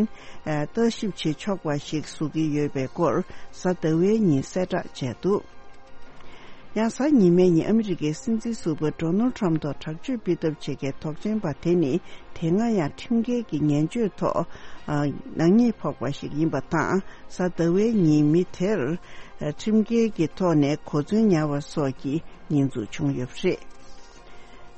ལྟ་ཞིབ་བྱེད་ཆོག་པ་ཞིག་བཟོ་གི་ཡོད་པའི་སྐོར་གཟའ་ཟླ་བའི་ཉིན་གསལ་བསྒྲགས་བྱས་འདུག་ཡང་གཟའ་ཉི་མའི་ཉིན་ཨ་མི་རི་ཀའི་སྲིད་འཛིན་ཟུར་པ་ཌོ་ནལ་ཊམ་ཐོག་དྲག་སྤྱོད་སྤེལ་ཐབས་བྱེད་མཁན་དོགས་ཅན་པ་དེ་ནི་དེ་སྔ་ཡང་ཁྲིམས་འགལ་གྱི་ངན་སྤྱོད་ཐོག་ནག་ཉེས་ཕོག་པ་ཞིག་ཡིན་པ་དང་། གཟའ་ཟླ་བའི་ཉིན་མི་དེར་ཁྲིམས་འགལ་གྱི་ཐོག་ནས་གོ་མཚོན་ཉར་བ་སོགས་ཀྱི་ཉེས་འཛུགས་བྱུང་ཡོད་པ་རེད།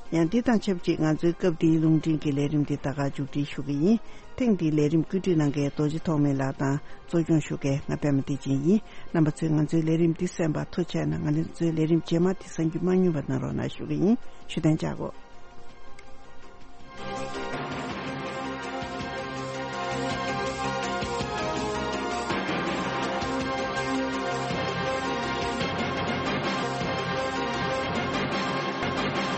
ཡང་འདི་དང་ཆབས་ཅིག་ང་ཚོའི་སྐབས་འདིའི་རླུང་འཕྲིན་གྱི་ལས་རིམ་འདི་ད་ག་མཇུག་སྒྲིལ་ཞུ་གི་ཡིན། ཐེངས་འདིའི་ལས་རིམ་བཀོད་སྒྲིག་གནང་མཁན་རྡོ་རྗེ་ཐོགས་མེད་ལགས་དང་གཙོ་སྐྱོང་ཞུ་མཁན་ང་པད་མ་བདེ་ཆེན་ཡིན། རྣམ་པ་ཚོས་ང་ཚོའི་ལས་རིམ་འདི་གསན་པར་ཐུགས་རྗེ་གནང་། ང་ཚོའི་ལས་རིམ་རྗེས་མ་འདི་གསན་རྒྱུ་མ་བསྙེལ་བ་གནང་རོགས་གནང་ཞུ་གི་ཡིན། ཞུ་དན་ཅག་གོ།